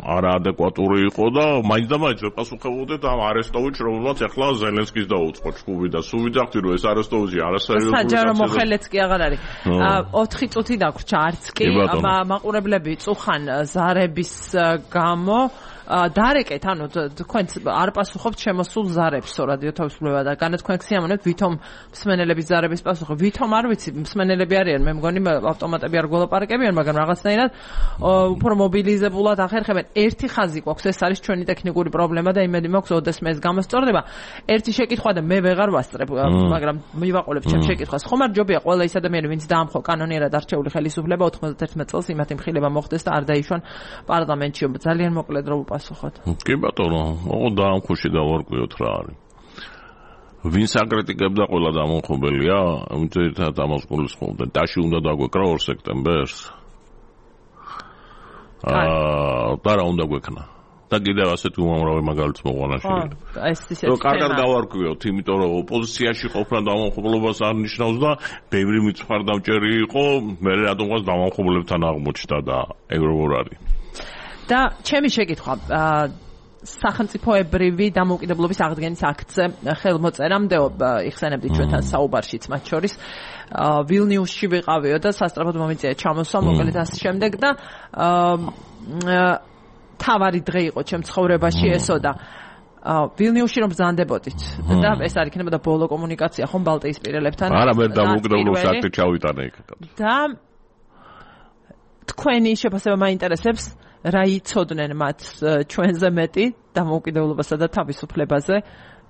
არაადეკვატური იყო და მაინც და მაინც ვეპასუხებოდეთ ამ არესტოვიჩს, რომელმაც ახლა ზელენსკის დაუწყო ჭკუები და სულ ვიძახდი რომ ეს არესტოვიჩი არასერიოზული საჯარო მოხელეც კი აღარ არის. 4 წუთი დაგვრჩა არც კი მაყურებლები წუხან ზარების გამო დარეკეთ, ანუ თქვენც არ პასუხობთ შემოსულ ზარებს რადიო თავისუფლება და განათქვენ ქსიამოვნებთ ვითომ მსმენელების ზარების პასუხი. ვითომ არ ვიცი, მსმენელები არიან, მე მგონი ავტომატები არ გველაპარაკებიან, მაგრამ რაღაცნაირად უფრო მობილიზებულად ახერხებენ. ერთი ხაზი გვაქვს, ეს არის ჩვენი ტექნიკური პრობლემა და იმედი მაქვს, ოდესმე ეს გამოსწორდება. ერთი შეკითხვა და მე ვეღარ ვასწრებ, მაგრამ მივაყოლებ ჩემ შეკითხვას. ხომ არ ჯობია ყველა ის ადამიანი, ვინც დაამხო კანონიერად არჩეული ხელისუფლება 91 წელს იმათ იმხილება მოხდეს და არ დაიშვან პარლამენტში. ძალიან მოკლედ რომ კი ბატონო, ოღონდ დაამხოში დავარკვიოთ რა არის. ვინც აკრიტიკებდა ყველა დამამხობელია, უწევთ ამას გულისხმობდა. დაში უნდა დაგვეკრა 2 სექტემბერს. და რა უნდა გვექნა? და კიდევ ასეთი უამრავი მაგალითს მოყვანაში. ეს ისეთი რომ კარგად გავარკვიოთ, იმიტომ რომ ოპოზიციაში ყოფნა დამამხობლობას არ ნიშნავს და ბევრი მიწვარდამჭერი იყო, მე რატომღაც დამამხობლებთან აღმოჩნდა და ევროპარ არის. და ჩემი შეკითხვა სახელმწიფოებრივი დამოუკიდებლობის აღდგენის აქტზე ხელმოწერამდე იხსენებდი ჩვენთან საუბარშიც მათ შორის ვილნიუსში ვიყავიო და სასწრაფოდ მომიწია ჩამოსვა მოკლედ ასე შემდეგ და თავარი დღე იყო ჩემ ცხოვრებაში ესო და ვილნიუსში რომ ბრძანდებოდით და ეს არ იქნებოდა ბოლო კომუნიკაცია ხომ ბალტიისპირელებთან არა მე დამოუკიდებლობის აქტი ჩავიტანე იქ და თქვენი შეფასება მაინტერესებს რა იცოდნენ მათ ჩვენზე მეტი დამოუკიდებლობასა და თავისუფლებაზე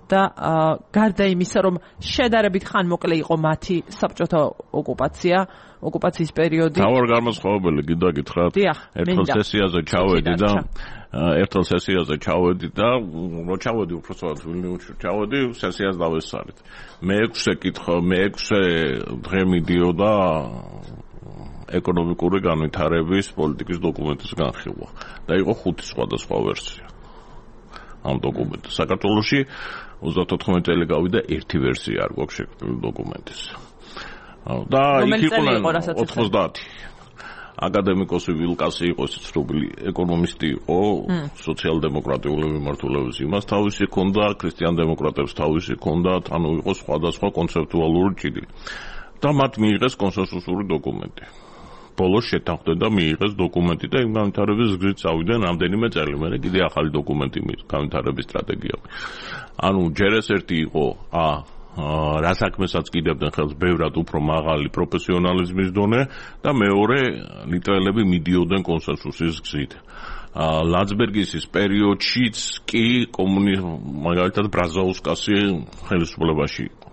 და გარდა იმისა რომ შედარებით ხანმოკლე იყო მათი საბჭოთა ოკუპაციის პერიოდი თავარ განმასხვავებელი კიდე გითხრათ ერთო სესიაზე ჩავედი და რო ჩავედი უბრალოდ ვილნიუსში ჩავედი სესიას დავესწარით მე 6 დღე მიდიოდა ეკონომიკური განვითარების პოლიტიკის დოკუმენტის განხილვა და იყო 5 სხვადასხვა ვერსია ამ დოკუმენტის. საქართველოში 34 წელი გავიდა ერთი ვერსია არ გვაქვს შექმნილი დოკუმენტის. და იქ იყვნენ 90 აკადემიკოსი ვილკასი იყო ცნობილი ეკონომისტი იყო სოციალ-დემოკრატიული მიმართულების იმას თავისი ჰქონდა ქრისტიან-დემოკრატებს თავისი ჰქონდათ ანუ იყო სხვადასხვა კონცეპტუალური ჭირი და მათ მიიღეს კონსენსუსური დოკუმენტი ბოლოს შეთანხმდნენ და მიიღეს დოკუმენტი და იმ განვითარების გზით წავიდნენ რამდენიმე წელი მერე კიდე ახალი დოკუმენტი განვითარების სტრატეგია ანუ ჯერ ეს ერთი იყო რა საქმესაც კიდევდნენ ხელს ბევრად უფრო მაღალი პროფესიონალიზმის დონე და მეორე ნიტრელები მიდიოდნენ კონსენსუსის გზით. ლანცბერგის პერიოდშიც კი მაგალითად ბრაზაუსკასი ხელისუფლებაში იყო.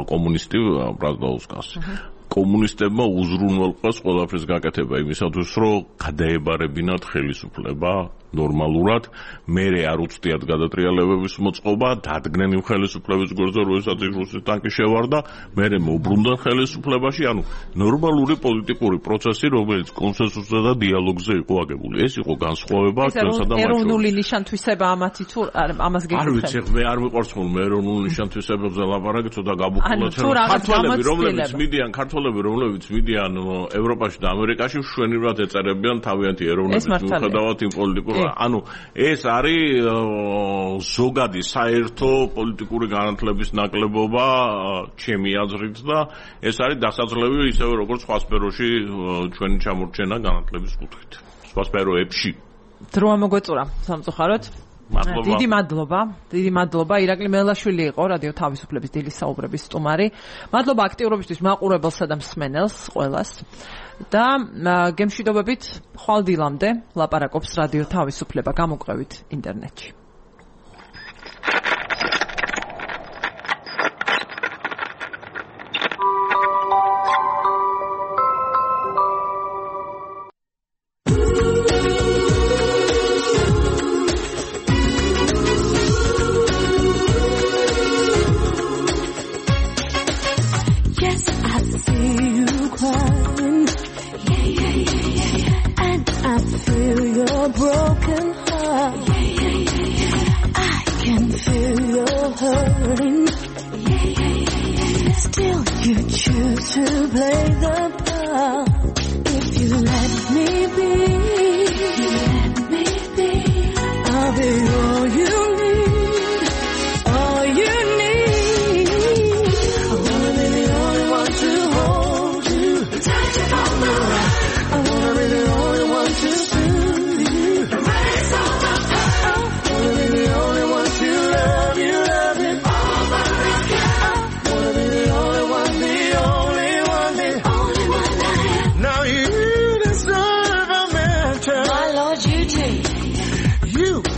კომუნისტი ბრაზაუსკასი. კომუნისტებმა უზრუნველყვეს ყველაფრის გაკეთება იმისათვის, რომ გადაებარებინათ ხელისუფლება ნორმალურად, მერე არ უცდიათ გადატრიალებების მოწყობა, დადგნენ იმ ხელისუფლების გვერდზე, როდესაც რუსეთის ტანკი შევარდა, მერე მოუბრუნდნენ ხელისუფლებაში, ანუ ნორმალური პოლიტიკური პროცესი, რომელიც კონსენსუსზე და დიალოგზე იყო აგებული. ეს იყო განსხვავება ჩვენსა და მათ შორის. ეროვნული ნიშანთვისება ამათი თუ ამას გეკითხები? არ ვიცი, მე არ მიყვარს ხოლმე ეროვნული ნიშანთვისებებზე ლაპარაკი, ცოტა გაბუქულად. ქართველები, რომლებიც მიდიან ევროპაში და ამერიკაში, მშვენივრად ეწერებიან თავიანთი ეროვნების მიუხედავად იმ პოლიტიკურ ანუ ეს არის ზოგადი საერთო პოლიტიკური განათლების ნაკლებობა ჩემი აზრით და ეს არის დასაძლევი ისევე როგორც სხვა სფეროში ჩვენი ჩამორჩენა განათლების კუთხით. სხვა სფეროებში. დრო ამოგვეწურა სამწუხაროდ. დიდი მადლობა ირაკლი მელაშვილი იყო რადიო თავისუფლების დილის საუბრების სტუმარი. მადლობა აქტიურობისთვის მაყურებელსა და მსმენელს ყველას. და გემშვიდობებით ხვალ დილამდე ლაპარაკობს რადიო თავისუფლება, გამოგვყევით ინტერნეტში. Broken heart. I can feel your hurting. Still you choose to play the part. If you let me be, I'll be all you need, all you need. I wanna be the only one to hold you, touch you on the right. I wanna be the only one to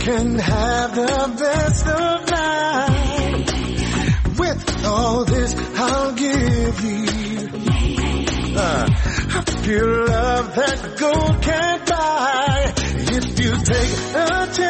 can have the best of life. With all this I'll give you a pure love that gold can't buy. If you take a chance